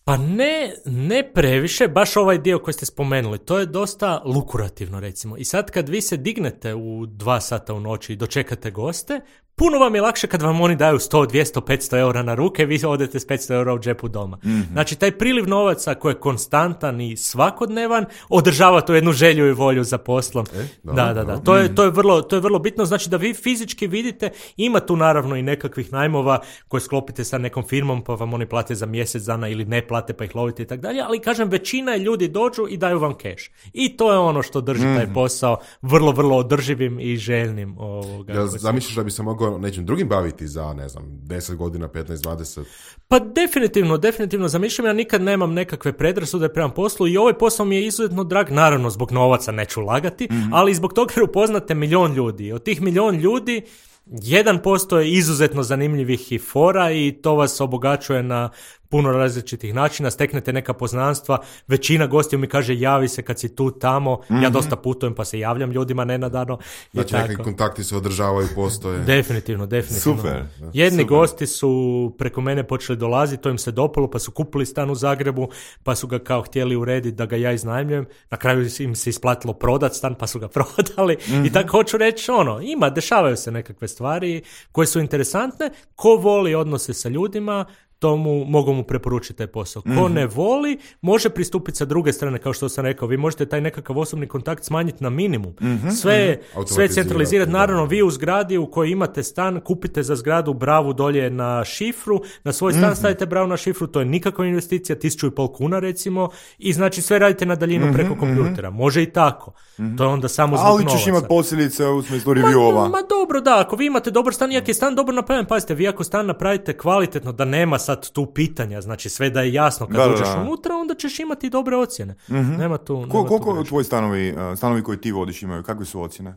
Pa ne, ne previše, baš ovaj dio koji ste spomenuli, to je dosta lukurativno recimo. I sad kad vi se dignete u dva sata u noći i dočekate goste, puno vam je lakše kad vam oni daju sto, dvjesto, petsto eura na ruke, vi odete s petsto eura u džepu doma. Mm-hmm. Znači taj priliv novaca koji je konstantan i svakodnevan održava tu jednu želju i volju za poslom. E, da, da, da, da. To je, to je vrlo, to je vrlo bitno, znači da vi fizički vidite, ima tu naravno i nekakvih najmova koje sklopite sa nekom firmom pa vam oni plate za mjesec dana ili ne plate pa ih lovite i tako dalje, ali kažem većina ljudi dođu i daju vam keš. I to je ono što drži mm-hmm. taj posao vrlo, vrlo održivim i željnim. Ovoga, ja, zamišljaš da bi se mogao nečim drugim baviti za, ne znam, deset godina, petnaest, dvadeset? Pa definitivno, definitivno zamišljam, ja nikad nemam nekakve predrasude prema poslu i ovaj posao mi je izuzetno drag, naravno zbog novaca neću lagati, mm-hmm. ali zbog toga jer upoznate milion ljudi. Od tih milion ljudi jedan posto je izuzetno zanimljivih i fora i to vas obogaćuje na puno različitih načina, steknete neka poznanstva, većina gostiju mi kaže javi se kad si tu tamo, mm-hmm. ja dosta putujem pa se javljam ljudima nenadano. Znači neki kontakti se održavaju, postoje. Definitivno, definitivno. Super. Jedni Super. gosti su preko mene počeli dolaziti, to im se dopalo, pa su kupili stan u Zagrebu, pa su ga kao htjeli urediti da ga ja iznajmljujem, na kraju im se isplatilo prodat stan, pa su ga prodali mm-hmm. i tako hoću reći, ono, ima, dešavaju se nekakve stvari koje su interesantne, ko voli odnose sa ljudima, tomu mogu mu preporučiti taj posao. Ko mm-hmm. ne voli, može pristupiti sa druge strane, kao što sam rekao. Vi možete taj nekakav osobni kontakt smanjiti na minimum. Mm-hmm. Sve, mm-hmm. sve centralizirati. Naravno, vi u zgradi u kojoj imate stan, kupite za zgradu bravu dolje na šifru, na svoj stan mm-hmm. stavite bravu na šifru, to je nikakva investicija, tisuću i pol kuna recimo, i znači sve radite na daljinu mm-hmm. preko kompjutera. Može i tako. Mm-hmm. To je onda samo zbog ali novaca. ćeš imati posljedice u smislu reviewova. Ma, ma dobro, da, ako vi imate dobar stan, iako je stan dobro napravljen, pazite, vi ako stan napravite kvalitetno, da nema sad tu pitanja, znači sve da je jasno kad da, uđeš da, da. unutra, onda ćeš imati dobre ocjene. Mm-hmm. Nema tu... Nema Ko, koliko tvoji stanovi, stanovi koji ti vodiš imaju, kakve su ocjene?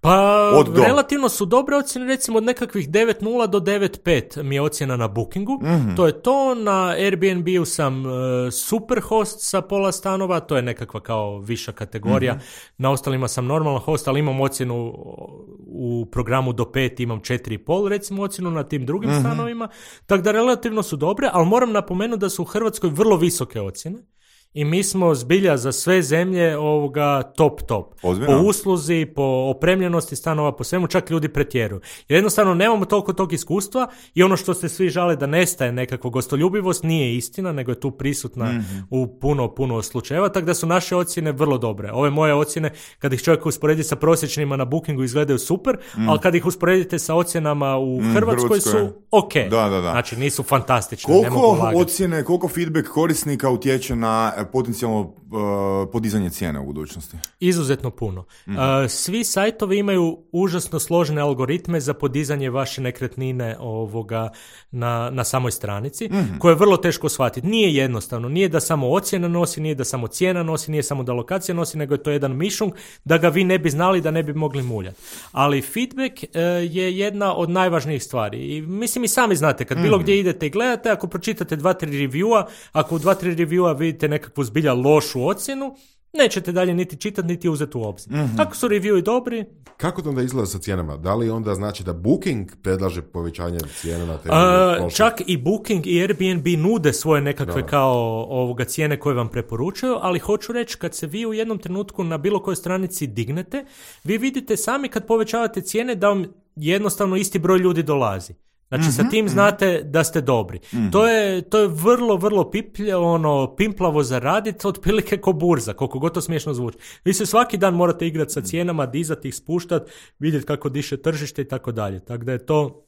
Pa relativno su dobre ocjene, recimo od nekakvih devet nula do devet pet mi je ocjena na Bookingu. Mm-hmm. To je to, na Airbnb-u sam uh, super host sa pola stanova, to je nekakva kao viša kategorija. Mm-hmm. Na ostalima sam normalan host, ali imam ocjenu u programu do pet, imam četiri i pol recimo ocjenu na tim drugim mm-hmm. stanovima. Tako da relativno su dobre, ali moram napomenuti da su u Hrvatskoj vrlo visoke ocjene. I mi smo zbilja za sve zemlje ovoga top top. Ozbiljno? Po usluzi, po opremljenosti stanova, po svemu, čak ljudi pretjeruju. Jer jednostavno nemamo toliko tog iskustva i ono što ste svi žale da nestaje nekakva gostoljubivost nije istina, nego je tu prisutna mm-hmm. u puno, puno slučajeva, tako da su naše ocjene vrlo dobre. Ove moje ocjene, kad ih čovjek usporedi sa prosječnima na Bookingu, izgledaju super, mm. ali kad ih usporedite sa ocjenama u mm, Hrvatskoj su ok. Da, da, da. Znači nisu fantastične. Koliko ocjene, koliko feedback korisnika utječe na potencijalno uh, podizanje cijene u budućnosti? Izuzetno puno. Mm. Uh, svi sajtovi imaju užasno složene algoritme za podizanje vaše nekretnine ovoga na, na samoj stranici, mm. koje je vrlo teško shvatiti. Nije jednostavno. Nije da samo ocjena nosi, nije da samo cijena nosi, nije samo da lokacija nosi, nego je to jedan mišung da ga vi ne bi znali, da ne bi mogli muljati. Ali feedback uh, je jedna od najvažnijih stvari. I mislim i sami znate, kad mm. bilo gdje idete i gledate, ako pročitate dva, tri reviewa, ako u dva, tri reviewa vidite nekakvu zbilja lošu ocjenu, nećete dalje niti čitati, niti uzeti u obzir. Mm-hmm. Ako su reviewi dobri... Kako to onda izgleda sa cijenama? Da li onda znači da Booking predlaže povećanje cijene na temelju? Uh, čak i Booking i Airbnb nude svoje nekakve da. kao ovoga cijene koje vam preporučuju, ali hoću reći, kad se vi u jednom trenutku na bilo kojoj stranici dignete, vi vidite sami kad povećavate cijene da vam jednostavno isti broj ljudi dolazi. Znači, mm-hmm, sa tim znate da ste dobri. Mm-hmm. To je, to je vrlo, vrlo piplje, ono, pimplavo za raditi, otprilike ko burza, koliko god to smiješno zvuči. Vi se svaki dan morate igrati sa cijenama, dizati ih, spuštati, vidjeti kako diše tržište i tako dalje. Tako da je to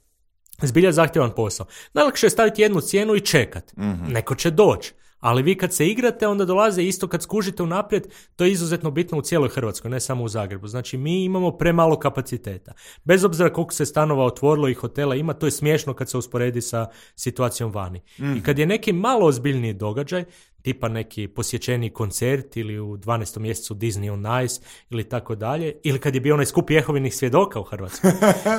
zbilja zahtjevan posao. Najlakše je staviti jednu cijenu i čekat. Mm-hmm. Neko će doći. Ali vi kad se igrate, onda dolaze isto kad skužite unaprijed, to je izuzetno bitno u cijeloj Hrvatskoj, ne samo u Zagrebu. Znači, mi imamo premalo kapaciteta. Bez obzira koliko se stanova otvorilo i hotela ima, to je smiješno kad se usporedi sa situacijom vani. Mm. I kad je neki malo ozbiljniji događaj, tipa neki posjećeni koncert ili u dvanaestom mjesecu Disney on Ice ili tako dalje, ili kad je bio onaj skup Jehovinih svjedoka u Hrvatskoj.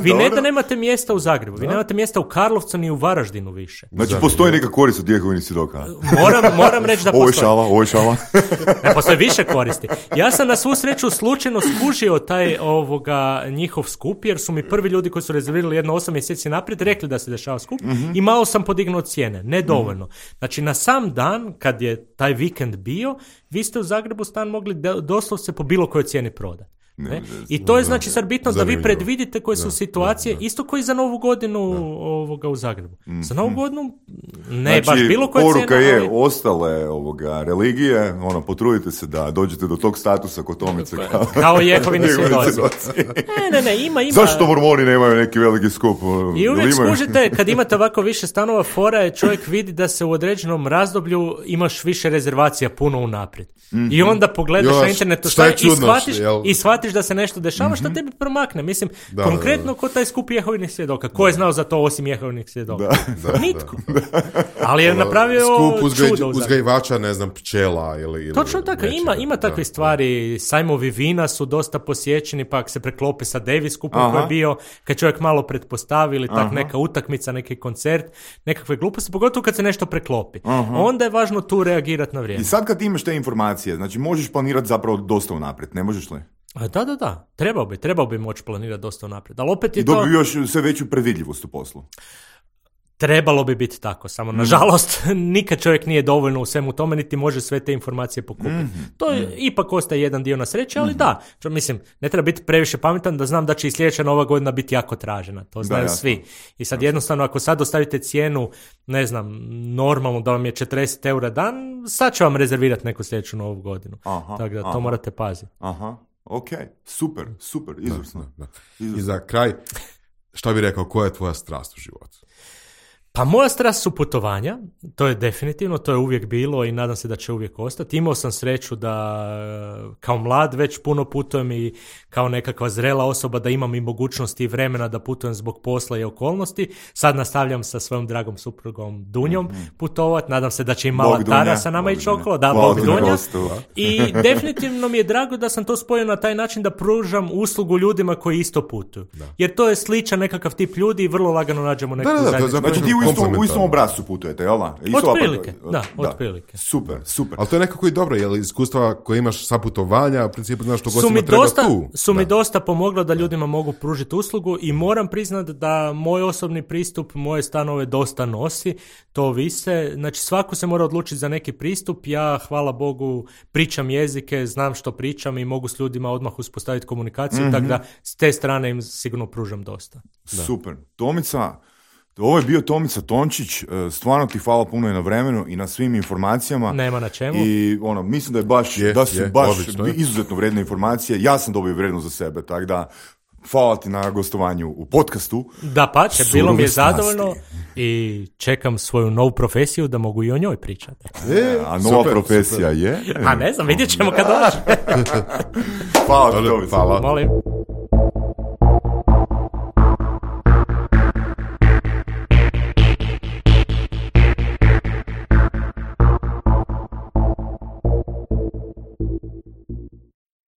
Vi ne da nemate mjesta u Zagrebu, vi nemate mjesta u Karlovcu ni u Varaždinu više. Znači, postoji neka korist od Jehovinih svjedoka? Moram, moram reći da postoji. Ovo je šala, ovo je šala. Ne, postoji više koristi. Ja sam na svu sreću slučajno skužio taj ovoga njihov skup, jer su mi prvi ljudi koji su rezervirali jedno osam mjeseci naprijed rekli da se dešava skup, mm-hmm. i malo sam podignuo cijene, ne dovoljno. Znači, na sam dan, kad je taj vikend bio, vi ste u Zagrebu stan mogli doslovce po bilo kojoj cijeni prodati. Ne, ne? I to je znači sad bitno da vi predvidite koje su situacije, da, da. Isto koji za Novu godinu da. Ovoga u Zagrebu. Mm. Za Novu godinu ne znači, baš bilo koje cijene. Poruka je, ali... ostale ovoga, religije, ono, potrudite se da dođete do tog statusa kod Tomice. Kao, kao Jehovini svjedoci. Ne, ne, ne, ima, ima. Zašto Mormoni nemaju neki veliki skup? I uvijek skužite, kad imate ovako više stanova, fora je čovjek vidi da se u određenom razdoblju imaš više rezervacija puno unaprijed. Mm-hmm. I onda pogledaš jo, na internetu šta je čudno, i shvatiš, i shvatiš da se nešto dešava, mm-hmm. što tebi promakne. Mislim, da, konkretno da, da. Ko taj skup Jehovinih svjedoka. Ko je znao za to osim Jehovinih svjedoka? Da, da, Nitko. Da. Ali je napravio skup uzgaj, čudo. Uzgajivača, ne znam, pčela ili... ili točno tako, ima, ima takve da, stvari. Sajmovi vina su dosta posjećeni, pa se preklope sa Davis skupom koji je bio, kad čovjek malo pretpostavi ili tak neka utakmica, neki koncert, nekakve gluposti, pogotovo kad se nešto preklopi. Aha. Onda je važno tu reagirati na vrijeme. I sad kad imaš te informacije, znači možeš planirati zapravo dosta unaprijed, ne možeš li? Da, da, da. Trebao bi, trebao bi moći planirati dosta unaprijed. Ali opet je I dobio to... još sve veću predvidljivost u poslu. Trebalo bi biti tako, samo mm. nažalost nikad čovjek nije dovoljno u svemu tome, niti može sve te informacije pokupiti. Mm-hmm. To je, mm. ipak ostaje jedan dio na sreće, ali mm-hmm. da, čo, mislim, ne treba biti previše pametan da znam da će i sljedeća Nova godina biti jako tražena, to znaju da, svi. I sad jednostavno ako sad ostavite cijenu, ne znam, normalno da vam je četrdeset eura dan, sad će vam rezervirati neku sljedeću Novu godinu. Aha, tako da to aha. morate paziti. Aha, ok, super, super, izvrsno. Da, da, da. I za kraj, šta bi rekao, koja je tvoja strast u životu? Pa moja strast su putovanja, to je definitivno, to je uvijek bilo i nadam se da će uvijek ostati. Imao sam sreću da kao mlad već puno putujem i kao nekakva zrela osoba da imam i mogućnosti i vremena da putujem zbog posla i okolnosti. Sad nastavljam sa svojom dragom suprugom Dunjom mm-hmm. putovat, nadam se da će i mala Bog Tara Dunja. Sa nama ići okolo, da, Bog, Bog Dunja. I definitivno mi je drago da sam to spojio na taj način da pružam uslugu ljudima koji isto putuju. Da. Jer to je sličan nekakav tip ljudi i vrlo lagano nađemo neku zajednicu. Znači ti u istom, u istom obrazcu putujete, jel da? Otprilike, da, da, otprilike. Super, super. Ali to je nekako i dobro, jer iskustva koje imaš sa putovanja, u principu znaš što gostima treba dosta, tu. Su da. mi dosta pomoglo da ljudima mogu pružiti uslugu i moram priznati da moj osobni pristup moje stanove dosta nosi, to vise. Znači svako se mora odlučiti za neki pristup, ja hvala Bogu pričam jezike, znam što pričam i mogu s ljudima odmah uspostaviti komunikaciju, mm-hmm. tako da s te strane im sigurno pružam dosta. Da. Super. Tomica, ovo je bio Tomica Tončić, stvarno ti hvala puno i na vremenu i na svim informacijama. Nema na čemu. I ono, mislim da je baš, je, da su je, baš odlično, izuzetno vrijedne informacije. Ja sam dobio vrijedno za sebe, tako da hvala ti na gostovanju u podcastu. Da pa, će, bilo mi je zadovoljno i čekam svoju novu profesiju da mogu i o njoj pričati. E, a nova super, profesija super. Je? A ne znam, vidjet ćemo kad dođe. Hvala ti, Tomica. Molim.